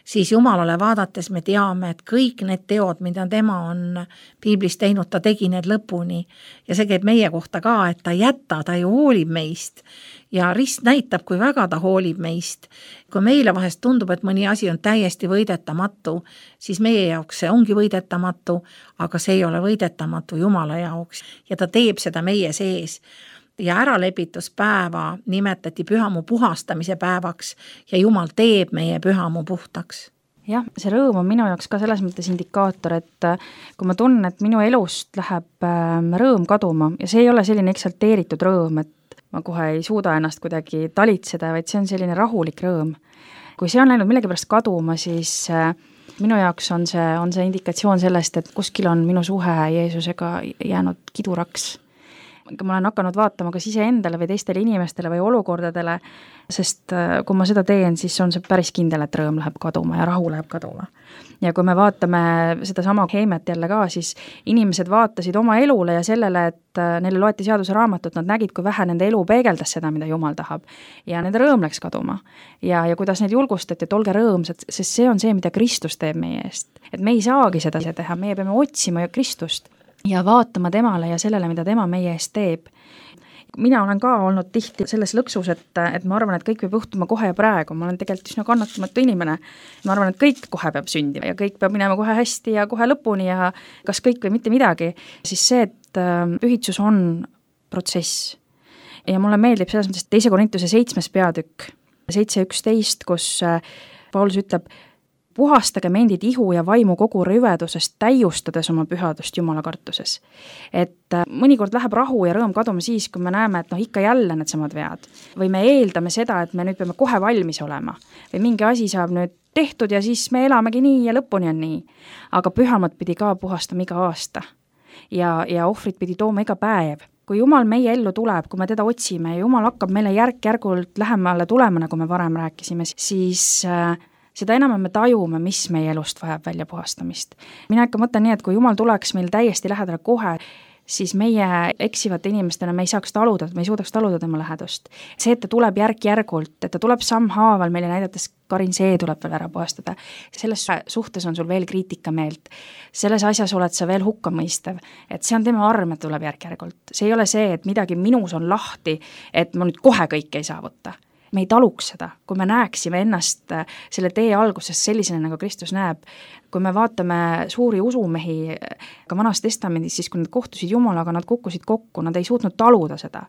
siis Jumalale vaadates me teame, et kõik need teod, mida tema on piiblis teinud, ta tegi need lõpuni ja see käib meie kohta ka, et ta jätta, ta ju hoolib meist ja rist näitab, kui väga ta hoolib meist. Kui meile vahest tundub, et mõni asi on täiesti võidetamatu, siis meie jaoks see ongi võidetamatu, aga see ei ole võidetamatu Jumala jaoks ja ta teeb seda meie sees. Ja äralepituspäeva nimetati pühamu puhastamise päevaks ja Jumal teeb meie pühamu puhtaks. Jah, see rõõm on minu jaoks ka selles mõttes indikaator, et kui ma tunnen, et minu elust läheb rõõm kaduma ja see ei ole selline eksalteeritud rõõm, et ma kohe ei suuda ennast kuidagi talitseda, vaid see on selline rahulik rõõm. Kui see on läinud millegipärast kaduma, siis minu jaoks on see, on see indikatsioon sellest, et kuskil on minu suhe Jeesusega jäänud kiduraks. Ma olen hakanud vaatama kas ise endale või teistele inimestele või olukordadele, sest kui ma seda teen, siis on see päris kindel, et rõõm läheb kaduma ja rahu läheb kaduma. Ja kui me vaatame seda sama Heimet jälle ka, siis inimesed vaatasid oma elule ja sellele, et neile loeti seaduse raamatut, nad nägid, kui vähe nende elu peegeldas seda, mida Jumal tahab. Ja nende rõõm läks kaduma. Ja, ja kuidas neid julgustati, et olge rõõmsad, sest see on see, mida Kristus teeb meie eest. Et me ei saagi seda teha, meie peame otsima ju Kristust ja vaatama temale ja sellele, mida tema meie eest teeb. Mina olen ka olnud tihti selles lõksus, et, et ma arvan, et kõik peab juhtuma kohe ja praegu. Ma olen tegelikult üsna kannatamatu inimene. Ma arvan, et kõik kohe peab sündima ja kõik peab minema kohe hästi ja kohe lõpuni ja kas kõik või mitte midagi. Siis see, et pühitsus on protsess. Ja mulle meeldib selles mõttes teise Korintuse seitsmes peatükk, seitse üksteist, kus Paulus ütleb, puhastage endid ihu ja vaimu kogu rüvedusest, täiustades oma pühadust Jumala kartuses. Et mõnikord läheb rahu ja rõõm kaduma siis, kui me näeme, et noh, ikka jälle need samad vead. Või me eeldame seda, et me nüüd peame kohe valmis olema. Või mingi asi saab nüüd tehtud ja siis me elamegi nii ja lõpuni on nii. Aga pühamad pidi ka puhastama iga aasta. Ja, ja ohvrit pidi tooma iga päev. Kui Jumal meie ellu tuleb, kui me teda otsime ja Jumal hakkab meile järk-järgult lähemale tulema, nagu me varem rääkisime, siis seda enam me tajume, mis meie elust vajab välja puhastamist. Mina ikka mõtlen nii, et kui Jumal tuleks meil täiesti lähedale kohe, siis meie eksivate inimestena me ei saaks taluda, me ei suudaks taluda tema lähedust. See, et ta tuleb järk-järgult, et ta tuleb sammhaaval meile näidates, Karin, see tuleb veel ära puhastada. Selles suhtes on sul veel kriitika meelt. Selles asjas oled sa veel hukkamõistev, et see on tema arm, et tuleb järk-järgult. See ei ole see, et midagi minus on lahti, et ma nüüd kohe kõike ei saavuta. Me ei taluks seda, kui me näeksime ennast selle tee alguses sellisena, nagu Kristus näeb. Kui me vaatame suuri usumehi ka Vanas Testamendis, siis kui nad kohtusid Jumalaga, nad kukkusid kokku, nad ei suutnud taluda seda.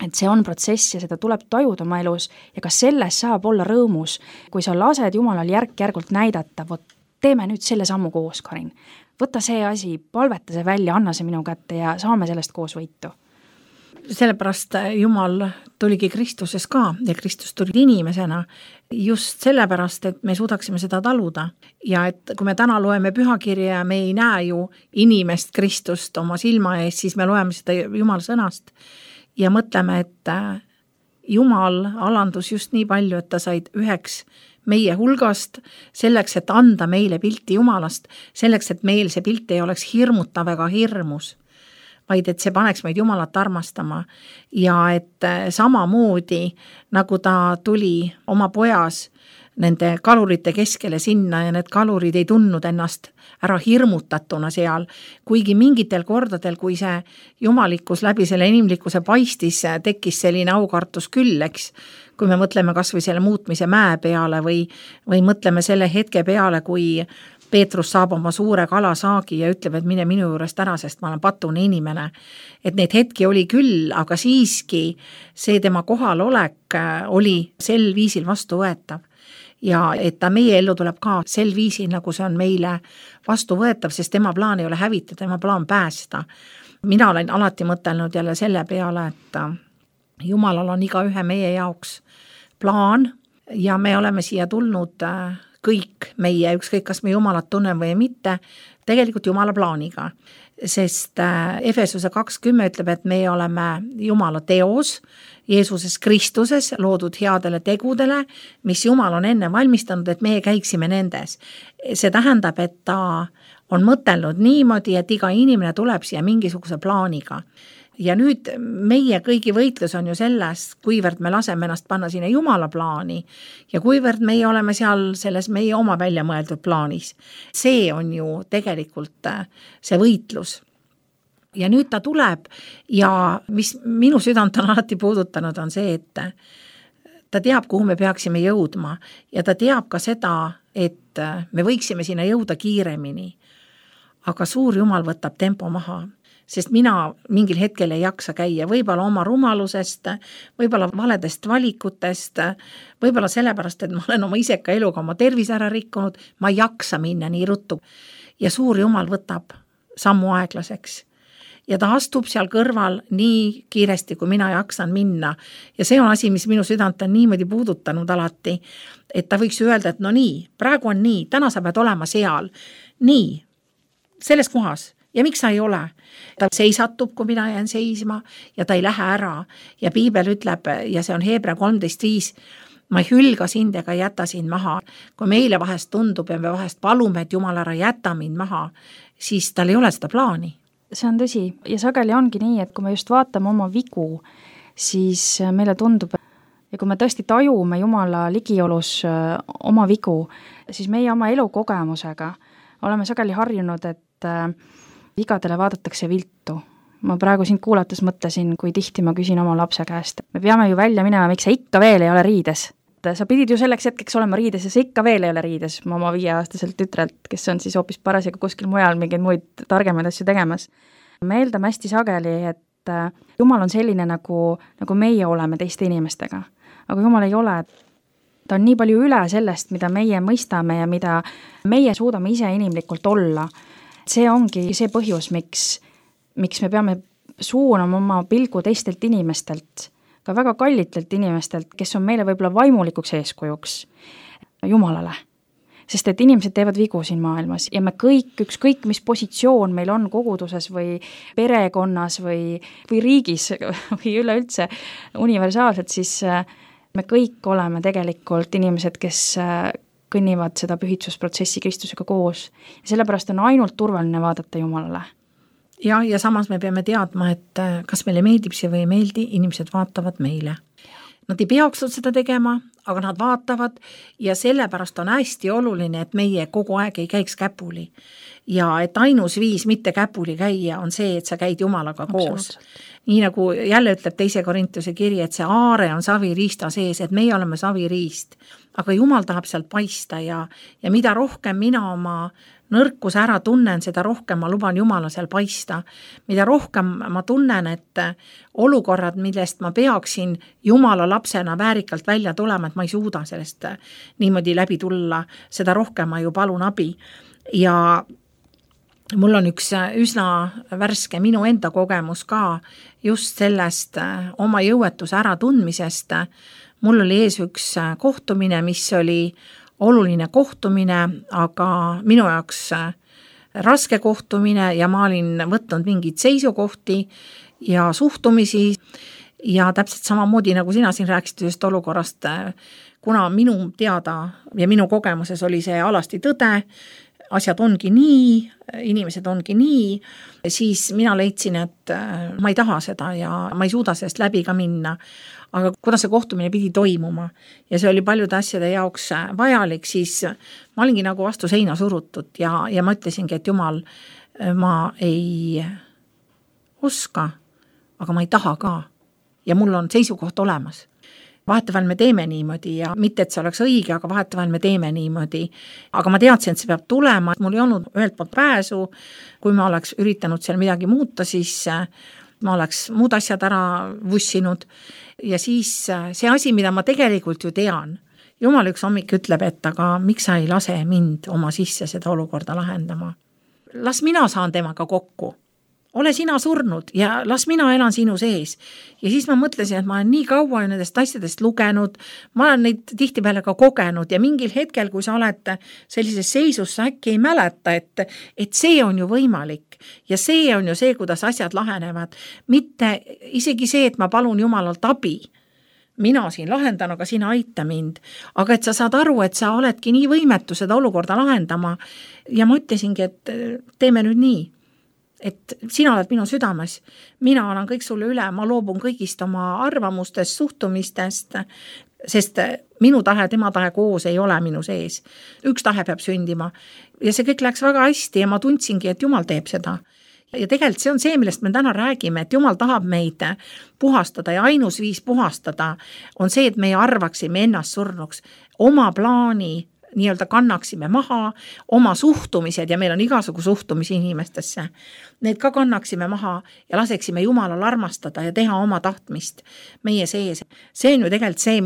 Et see on protsess ja seda tuleb tajuda oma elus ja ka selles saab olla rõõmus, kui sa lased Jumalal järk-järgult näidata, võt, teeme nüüd selle sammu koos, Karin. Võta see asi, palveta see välja, anna see minu kätte ja saame sellest koos võitu. Sellepärast Jumal tuligi Kristuses ka ja Kristus tuli inimesena just sellepärast, et me suudaksime seda taluda. Ja et kui me täna loeme pühakirja ja me ei näe ju inimest Kristust oma silma ees, siis me loeme seda Jumal sõnast ja mõtleme, et Jumal alandus just nii palju, et ta said üheks meie hulgast, selleks, et anda meile pilti Jumalast, selleks, et meil see pilt ei oleks hirmutav ega hirmus, vaid et see paneks meid Jumalat armastama ja et samamoodi, nagu ta tuli oma pojas nende kalurite keskele sinna ja need kalurid ei tundnud ennast ära hirmutatuna seal, kuigi mingitel kordadel, kui see jumalikkus läbi selle inimlikkuse paistis, tekkis selline aukartus küll, eks, kui me mõtleme kas või selle muutmise mäe peale või, või mõtleme selle hetke peale, kui Peetrus saab oma suure kalasaagi ja ütleb, et mine minu juurest ära, sest ma olen patune inimene. Et neid hetki oli küll, aga siiski see tema kohalolek oli sel viisil vastu võetav. Ja et ta meie ellu tuleb ka sel viisil, nagu see on meile vastu võetav, sest tema plaan ei ole hävitada, tema plaan päästa. Mina olen alati mõtelnud jälle selle peale, et Jumalal on iga ühe meie jaoks plaan ja me oleme siia tulnud kõik meie, ükskõik kas me Jumalat tunneme või mitte, tegelikult Jumala plaaniga. Sest Efesuse kakskümmend ütleb, et me oleme Jumala teos, Jeesuses Kristuses loodud headele tegudele, mis Jumal on enne valmistanud, et meie käiksime nendes. See tähendab, et ta on mõtelnud niimoodi, et iga inimene tuleb siia mingisuguse plaaniga. Ja nüüd meie kõigi võitlus on ju selles, kuivõrd me laseme ennast panna sinna Jumala plaani ja kuivõrd meie oleme seal selles meie oma välja mõeldud plaanis. See on ju tegelikult see võitlus. Ja nüüd ta tuleb ja mis minu südant on alati puudutanud on see, et ta teab, kuhu me peaksime jõudma ja ta teab ka seda, et me võiksime sinna jõuda kiiremini. Aga suur Jumal võtab tempo maha. Sest mina mingil hetkel ei jaksa käia, võib-olla oma rumalusest, võib-olla valedest valikutest, võib-olla sellepärast, et ma olen oma iseka eluga oma tervise ära rikkunud, ma ei jaksa minna nii ruttu. Ja suur Jumal võtab sammu aeglaseks. Ja ta astub seal kõrval nii kiiresti, kui mina jaksan minna. Ja see on asi, mis minu südant on niimoodi puudutanud alati, et ta võiks öelda, et no nii, praegu on nii, täna sa pead olema seal. Nii, selles kohas. Ja miks sa ei ole? Ta seisatub, kui mina jään seisma ja ta ei lähe ära. Ja Piibel ütleb, ja see on Hebra kolmteist viis, ma ei hülga sind ega jäta sind maha. Kui meile vahest tundub ja me vahest palume, et Jumal ära jäta mind maha, siis tal ei ole seda plaani. See on tõsi ja sageli ongi nii, et kui me just vaatame oma vigu, siis meile tundub, ja kui me tõesti tajume Jumala ligiolus oma vigu, siis meie oma elukogemusega oleme sageli harjunud, et vigadele vaadatakse viltu. Ma praegu sind kuulates mõtlesin, kui tihti ma küsin oma lapse käest. Me peame ju välja minema, miks sa ikka veel ei ole riides. Sa pidid ju selleks hetkeks olema riides ja sa ikka veel ei ole riides. Ma oma viieaastaselt tütrelt, kes on siis hoopis parasjaga kuskil mujal mingeid muid targemaid asju tegemas. Me eeldame hästi sageli, et Jumal on selline, nagu, nagu meie oleme teiste inimestega. Aga Jumal ei ole. Ta on nii palju üle sellest, mida meie mõistame ja mida meie suudame ise inimlikult olla. See ongi see põhjus, miks, miks me peame suunama oma pilgu teistelt inimestelt, ka väga kallitelt inimestelt, kes on meile võib-olla vaimulikuks eeskujuks Jumalale. Sest et inimesed teevad vigu siin maailmas ja me kõik, ükskõik mis positsioon meil on koguduses või perekonnas või, või riigis või üleüldse universaalselt, siis me kõik oleme tegelikult inimesed, kes kõnnivad seda pühitsusprotsessi Kristusega koos. Ja sellepärast on ainult turvaline vaadata Jumalale. Ja, ja samas me peame teadma, et kas meile meeldib see või ei meeldi, inimesed vaatavad meile. Nad ei peaks seda tegema, aga nad vaatavad ja sellepärast on hästi oluline, et meie kogu aeg ei käiks käpuli. Ja et ainus viis mitte käpuli käia on see, et sa käid Jumalaga koos. Nii nagu jälle ütleb teise Korintuse kiri, et see aare on saviriista sees, et meie oleme saviriist. Aga Jumal tahab sealt paista ja, ja mida rohkem mina oma nõrkus ära tunnen, seda rohkem ma luban Jumala seal paista. Mida rohkem ma tunnen, et olukorrad, millest ma peaksin Jumala lapsena väärikalt välja tulema, et ma ei suuda sellest niimoodi läbi tulla, seda rohkem ma ju palun abi. Ja mul on üks üsna värske minu enda kogemus ka just sellest oma jõuetuse ära tundmisest. Mul oli ees üks kohtumine, mis oli oluline kohtumine, aga minu jaoks raske kohtumine ja ma olin võtnud mingid seisukohti ja suhtumisi ja täpselt samamoodi, nagu sina siin rääkisid ühest olukorrast, kuna minu teada ja minu kogemuses oli see alasti tõde, asjad ongi nii, inimesed ongi nii, siis mina leidsin, et ma ei taha seda ja ma ei suuda sellest läbi ka minna. Aga kuna see kohtumine pidi toimuma ja see oli paljude asjade jaoks vajalik, siis ma olingi nagu vastu seina surutud ja, ja ma ütlesingi, et jumal, ma ei oska, aga ma ei taha ka. Ja mul on seisukoht olemas. Vahetevahel me teeme niimoodi ja mitte, et see oleks õige, aga vahetevahel me teeme niimoodi. Aga ma teadsin, et see peab tulema, mul ei olnud ühelt poolt pääsu, kui ma oleks üritanud seal midagi muuta, siis ma oleks muud asjad ära vussinud ja siis see asi, mida ma tegelikult ju tean, jumal üks hommik ütleb, et aga miks sa ei lase mind oma sisse seda olukorda lahendama? Las mina saan temaga kokku. Ole sina surnud ja las mina elan sinu sees. Ja siis ma mõtlesin, et ma olen nii kaua nendest asjadest lugenud, ma olen neid tihtipeale ka kogenud ja mingil hetkel, kui sa oled sellises seisus, sa äkki ei mäleta, et, et see on ju võimalik ja see on ju see, kuidas asjad lahenevad. Mitte isegi see, et ma palun Jumalalt abi. Mina siin lahendan, aga sina aita mind. Aga et sa saad aru, et sa oledki nii võimetu seda olukorda lahendama ja ma ütlesingi, et teeme nüüd nii. Et sina oled minu südames, mina annan kõik sulle üle, ma loobun kõigist oma arvamustest, suhtumistest, sest minu tahe, tema tahe koos ei ole minu sees. Üks tahe peab sündima ja see kõik läks väga hästi ja ma tundsingi, et Jumal teeb seda. Ja tegelikult see on see, millest me täna räägime, et Jumal tahab meid puhastada ja ainus viis puhastada on see, et meie arvaksime ennast surnuks, oma plaani nii-öelda kannaksime maha, oma suhtumised ja meil on igasugu suhtumisi inimestesse. Need ka kannaksime maha ja laseksime Jumalal armastada ja teha oma tahtmist meie sees. See on ju tegelikult see,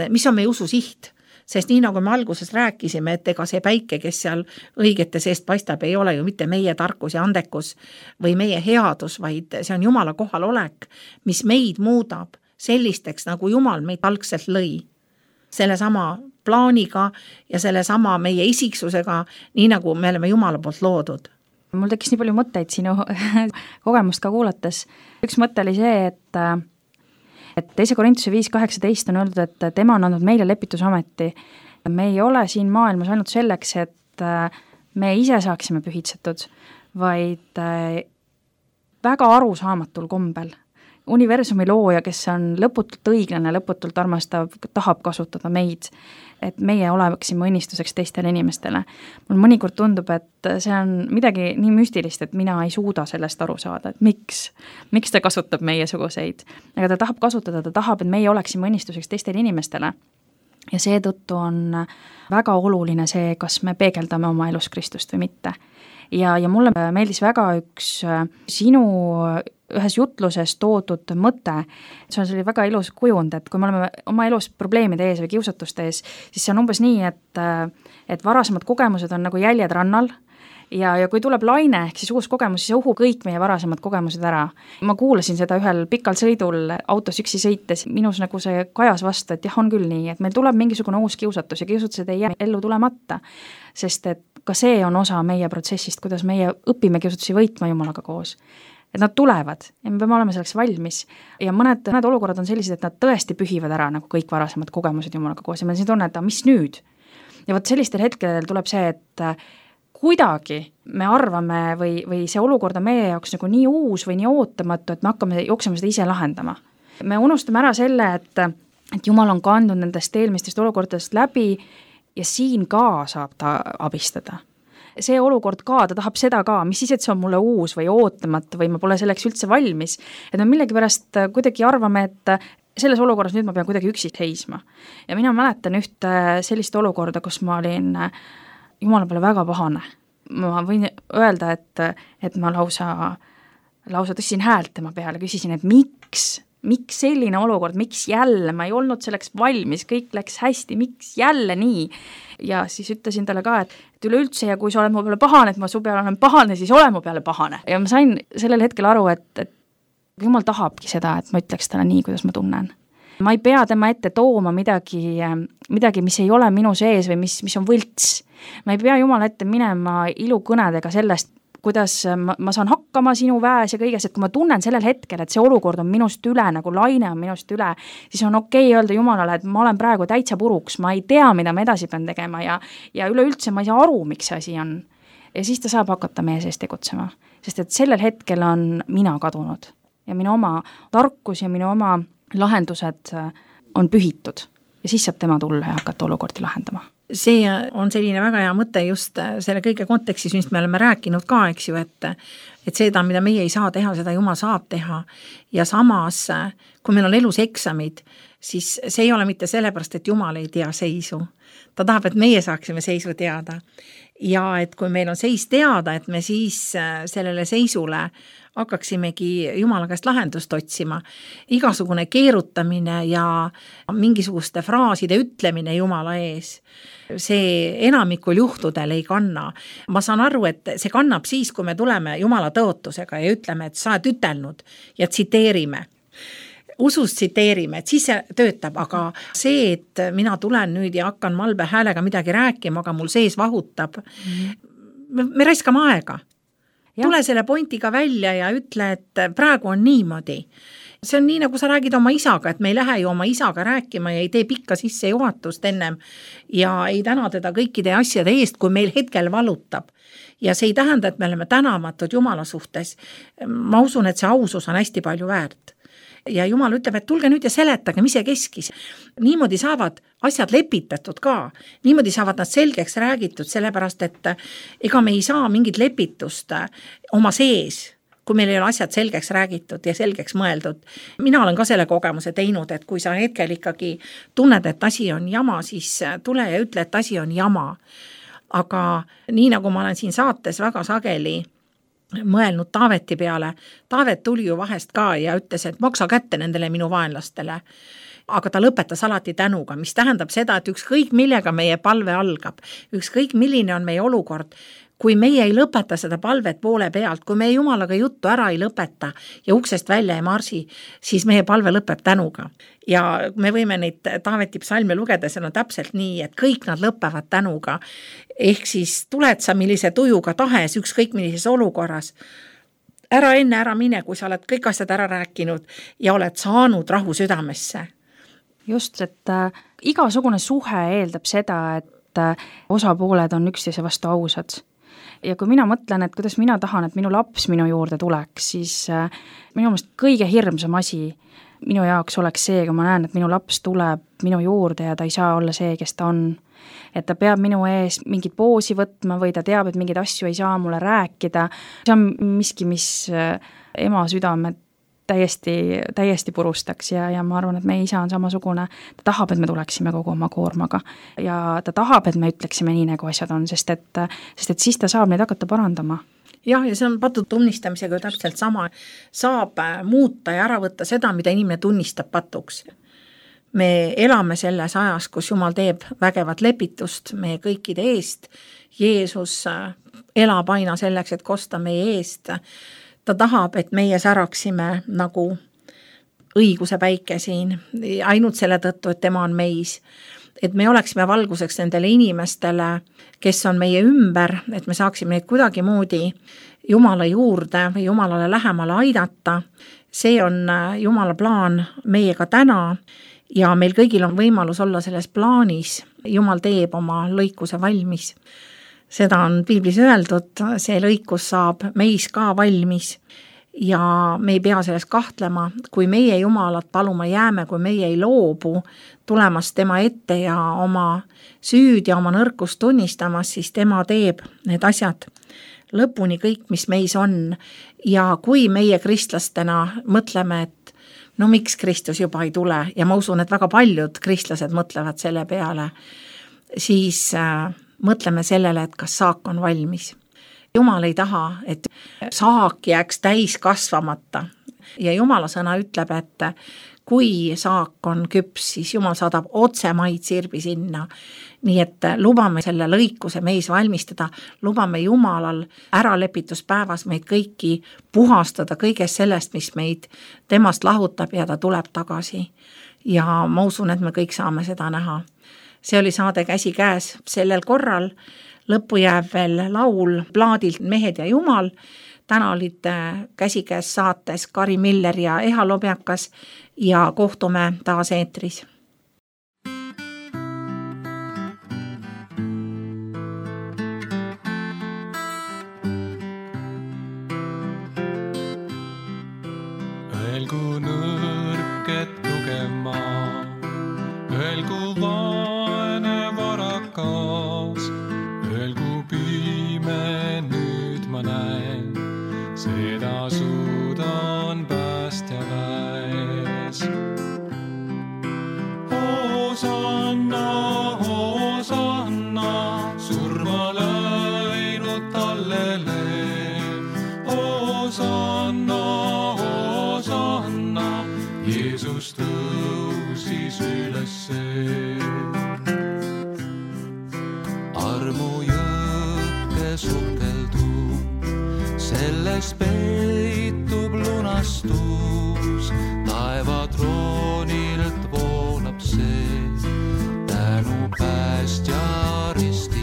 mis on meie usu siht. Sest nii nagu me alguses rääkisime, et ega see päike, kes seal õigete seest paistab, ei ole ju mitte meie tarkus ja andekus või meie headus, vaid see on Jumala kohalolek, mis meid muudab sellisteks, nagu Jumal meid algselt lõi. Selle sama plaaniga ja selle sama meie isiksusega, nii nagu me oleme Jumala poolt loodud. Mul tekkis nii palju mõtteid sinu kogemust ka kuulates. Üks mõte oli see, et, et teise Korintuse viis kaheksateist on öeldud, et tema on andnud meile lepitusameti. Me ei ole siin maailmas ainult selleks, et me ise saaksime pühitsetud, vaid väga arusaamatul kombel. Universumi looja, kes on lõputult õiglane, lõputult armastav, tahab kasutada meid, et meie oleksime õnnistuseks teistele inimestele. Mul mõnikord tundub, et see on midagi nii müstilist, et mina ei suuda sellest aru saada, et miks, miks ta kasutab meie suguseid. Aga ta tahab kasutada, ta tahab, et meie oleksime õnnistuseks teistele inimestele. Ja seetõttu on väga oluline see, kas me peegeldame oma elus Kristust või mitte. Ja, ja mulle meeldis väga üks sinu ühes jutluses toodud mõte, see oli väga ilus kujund, et kui me oleme oma elus probleemide ees või kiusatuste ees, siis see on umbes nii, et, et varasemad kogemused on nagu jäljed rannal ja, ja kui tuleb laine, ehk siis uus kogemus, siis õhu kõik meie varasemad kogemused ära. Ma kuulasin seda ühel pikal sõidul autos üksi sõites, minus nagu see kajas vastu, et jah, on küll nii, et meil tuleb mingisugune uus kiusatus ja kiusatused ei jää ellu tulemata, sest et ka see on osa meie protsessist, kuidas meie õpime kiusatusi võitma Jumalaga koos. Et nad tulevad ja me peame olema selleks valmis ja mõned, mõned olukorrad on sellised, et nad tõesti pühivad ära nagu kõik varasemad kogemused Jumalaga koos ja me siin tunne, et mis nüüd? Ja võt sellistel hetkedel tuleb see, et kuidagi me arvame või, või see olukord on meie jaoks nagu nii uus või nii ootamatu, et me hakkame jooksema seda ise lahendama. Me unustame ära selle, et, et Jumal on kandnud nendest eelmistest olukordadest läbi ja siin ka saab ta abistada. See olukord ka, ta tahab seda ka, mis siis, et see on mulle uus või ootamatu või ma pole selleks üldse valmis. Et me millegi pärast kuidagi arvame, et selles olukorras nüüd ma pean kuidagi üksi seisma. Ja mina mäletan üht sellist olukorda, kus ma olin Jumala peale väga pahane. Ma võin öelda, et, et ma lausa, lausa tõstsin häält tema peale, küsisin, et miks, miks selline olukord, miks jälle, ma ei olnud selleks valmis, kõik läks hästi, miks jälle nii? Ja siis ütlesin talle ka, et, et üleüldse ja kui sa oled mu peale pahane, et ma su peale olen pahane, siis ole mu peale pahane. Ja ma sain sellel hetkel aru, et, et Jumal tahabki seda, et ma ütleks talle nii, kuidas ma tunnen. Ma ei pea tema ette tooma midagi, midagi, mis ei ole minu sees või mis, mis on võlts. Ma ei pea Jumala ette minema ilukõnedega sellest, kuidas ma, ma saan hakkama sinu väes ja kõiges, et kui ma tunnen sellel hetkel, et see olukord on minust üle, nagu laine on minust üle, siis on okei öelda Jumalale, et ma olen praegu täitsa puruks, ma ei tea, mida ma edasi pean tegema ja, ja üleüldse ma ei saa aru, miks see asi on. Ja siis ta saab hakata meie sees tegutsema, sest et sellel hetkel on mina kadunud ja minu oma tarkus ja minu oma lahendused on pühitud ja siis saab tema tulla ja hakata olukordi lahendama. See on selline väga hea mõte just selle kõige kontekstis, mis me oleme rääkinud ka, eks ju, et, et seda, mida meie ei saa teha, seda Jumal saab teha. Ja samas, kui meil on elus eksamid, siis see ei ole mitte sellepärast, et Jumal ei tea seisu. Ta tahab, et meie saaksime seisu teada. Ja et kui meil on seis teada, et me siis sellele seisule hakkaksimegi Jumala käest lahendust otsima. Igasugune keerutamine ja mingisuguste fraaside ütlemine Jumala ees, see enamikul juhtudel ei kanna. Ma saan aru, et see kannab siis, kui me tuleme Jumala tõotusega ja ütleme, et sa oled ütelnud ja tsiteerime. Usust tsiteerime, et siis see töötab, aga see, et mina tulen nüüd ja hakkan malbe häälega midagi rääkima, aga mul sees vahutab, me, me raiskame aega. Ja. Tule selle pointiga välja ja ütle, et praegu on niimoodi. See on nii, nagu sa räägid oma isaga, et me ei lähe ju oma isaga rääkima ja ei tee pikka sisse juhatust ennem ja ei täna teda kõikide asjade eest, kui meil hetkel valutab. Ja see ei tähenda, et me oleme tänamatud Jumala suhtes. Ma usun, et see ausus on hästi palju väärt. Ja Jumal ütleb, et tulge nüüd ja seletage, mis see keskis. Niimoodi saavad asjad lepitatud ka. Niimoodi saavad nad selgeks räägitud, sellepärast, et ega me ei saa mingit lepitust oma sees, kui meil ei ole asjad selgeks räägitud ja selgeks mõeldud. Mina olen ka selle kogemuse teinud, et kui sa hetkel ikkagi tunned, et asi on jama, siis tule ja ütle, et asi on jama. Aga nii nagu ma olen siin saates väga sageli mõelnud Taaveti peale. Taavet tuli ju vahest ka ja ütles, et maksa kätte nendele minu vaenlastele. Aga ta lõpetas alati tänuga, mis tähendab seda, et ükskõik millega meie palve algab, ükskõik milline on meie olukord, kui meie ei lõpeta seda palvet poole pealt, kui meie Jumalaga juttu ära ei lõpeta ja uksest välja ei marsi, siis meie palve lõpeb tänuga. Ja me võime neid Taaveti psalme lugeda, see on täpselt nii, et kõik nad lõpevad tänuga. Ehk siis tuled sa millise tujuga tahes, ükskõik millises olukorras. Ära enne ära mine, kui sa oled kõik asjad ära rääkinud ja oled saanud rahu südamesse. Just, et äh, igasugune suhe eeldab seda, et äh, osapooled on üksteise vastu ausad. Ja kui mina mõtlen, et kuidas mina tahan, et minu laps minu juurde tuleks, siis äh, minu mõelest kõige hirmsam asi minu jaoks oleks see, kui ma näen, et minu laps tuleb minu juurde ja ta ei saa olla see, kes ta on. Et ta peab minu ees mingit poosi võtma või ta teab, et mingeid asju ei saa mulle rääkida. See on miski, mis äh, ema südamed täiesti, täiesti purustaks ja, ja ma arvan, et meie isa on samasugune. Ta tahab, et me tuleksime kogu oma koormaga ja ta tahab, et me ütleksime nii, nagu asjad on, sest et, sest et siis ta saab neid hakata parandama. Jah, ja see on patu tunnistamisega ju täpselt sama. Saab muuta ja ära võtta seda, mida inimene tunnistab patuks. Me elame selles ajas, kus Jumal teeb vägevat lepitust meie kõikide eest. Jeesus elab aina selleks, et kosta meie eest. Ta tahab, et meie säraksime nagu õiguse päike siin, ainult selle tõttu, et tema on meis. Et me oleksime valguseks nendele inimestele, kes on meie ümber, et me saaksime neid kuidagi moodi Jumala juurde või Jumalale lähemale aidata. See on Jumala plaan meiega täna ja meil kõigil on võimalus olla selles plaanis. Jumal teeb oma lõikuse valmis. Seda on piiblis öeldud, see lõikus saab meis ka valmis ja me ei pea selles kahtlema, kui meie Jumalat paluma jääme, kui meie ei loobu tulemast tema ette ja oma süüd ja oma nõrkust tunnistamas, siis tema teeb need asjad lõpuni kõik, mis meis on. Ja kui meie kristlastena mõtleme, et no miks Kristus juba ei tule ja ma usun, et väga paljud kristlased mõtlevad selle peale, siis mõtleme sellele, et kas saak on valmis. Jumal ei taha, et saak jääks täis kasvamata. Ja Jumala sõna ütleb, et kui saak on küps, siis Jumal saadab otse maid sirbi sinna. Nii et lubame selle lõikuse meis valmistada, lubame Jumalal äralepituspäevas meid kõiki puhastada kõigest sellest, mis meid temast lahutab ja ta tuleb tagasi. Ja ma usun, et me kõik saame seda näha. see oli saade Käsikäes, sellel korral lõppu jääb veel laul plaadilt Mehed ja Jumal. Täna olid Käsikäes saates Kari Miller ja Eha Lobjakas ja kohtume taas eetris. Öelgu nõrk, et tugev maa, öelgu vaene varakas, öelgu pime, nüüd ma näen, seda suudan päästja väes. Hosanna, Hosanna, surma läinud tallele. Hosanna, Hosanna, Jeesus tõusis ülesse. Armu jõkke sukeldub, selles peitub lunastus, taeva troonilt voolab see, tänu päästja ristile.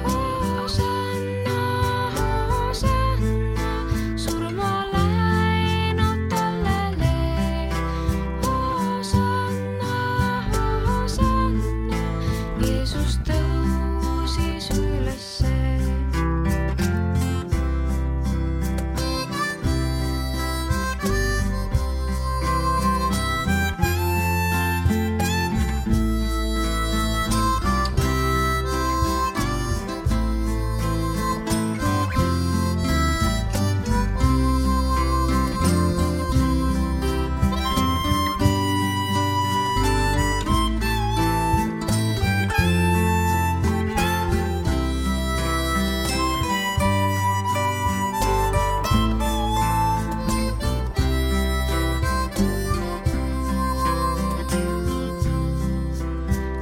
Hosanna, Hosanna, surma läinud tallele. Hosanna, Hosanna, Jeesus tõusis ülesse.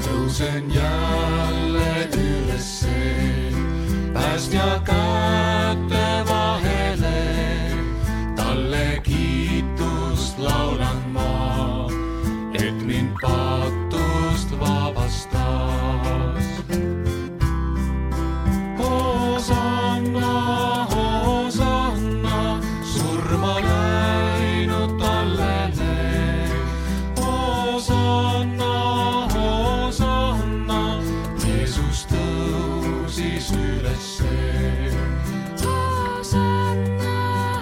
Tõusen jälle ülesse, päästja käte vahele, talle kiitust laulan ma, et mind patust vabastas. Hosanna, Hosanna, surma läinud tallele. Hosanna, Hosanna, Jeesus tõusis ülesse. Hosanna,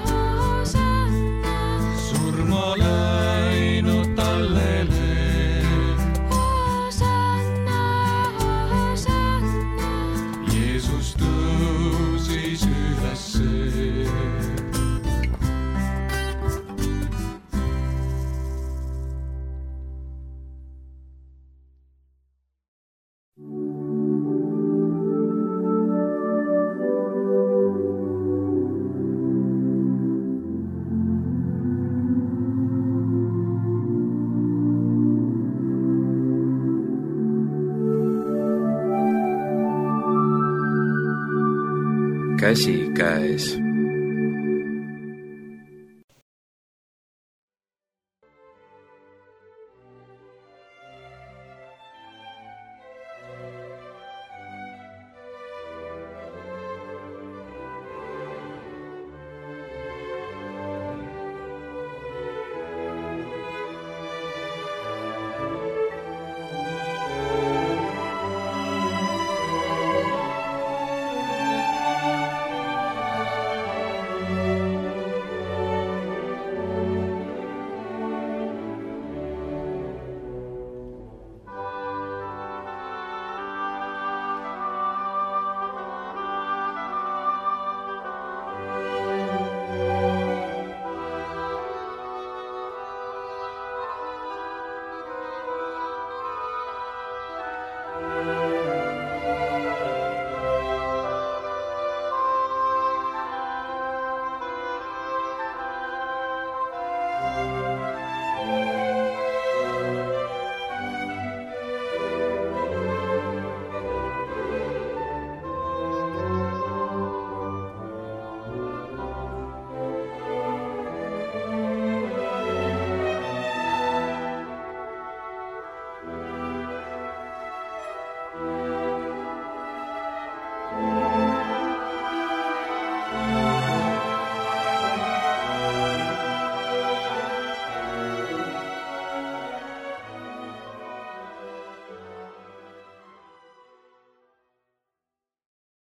Hosanna, Surma läinud tallele. Hosanna, Hosanna, Jeesus tõusis ülesse. Käsikäes.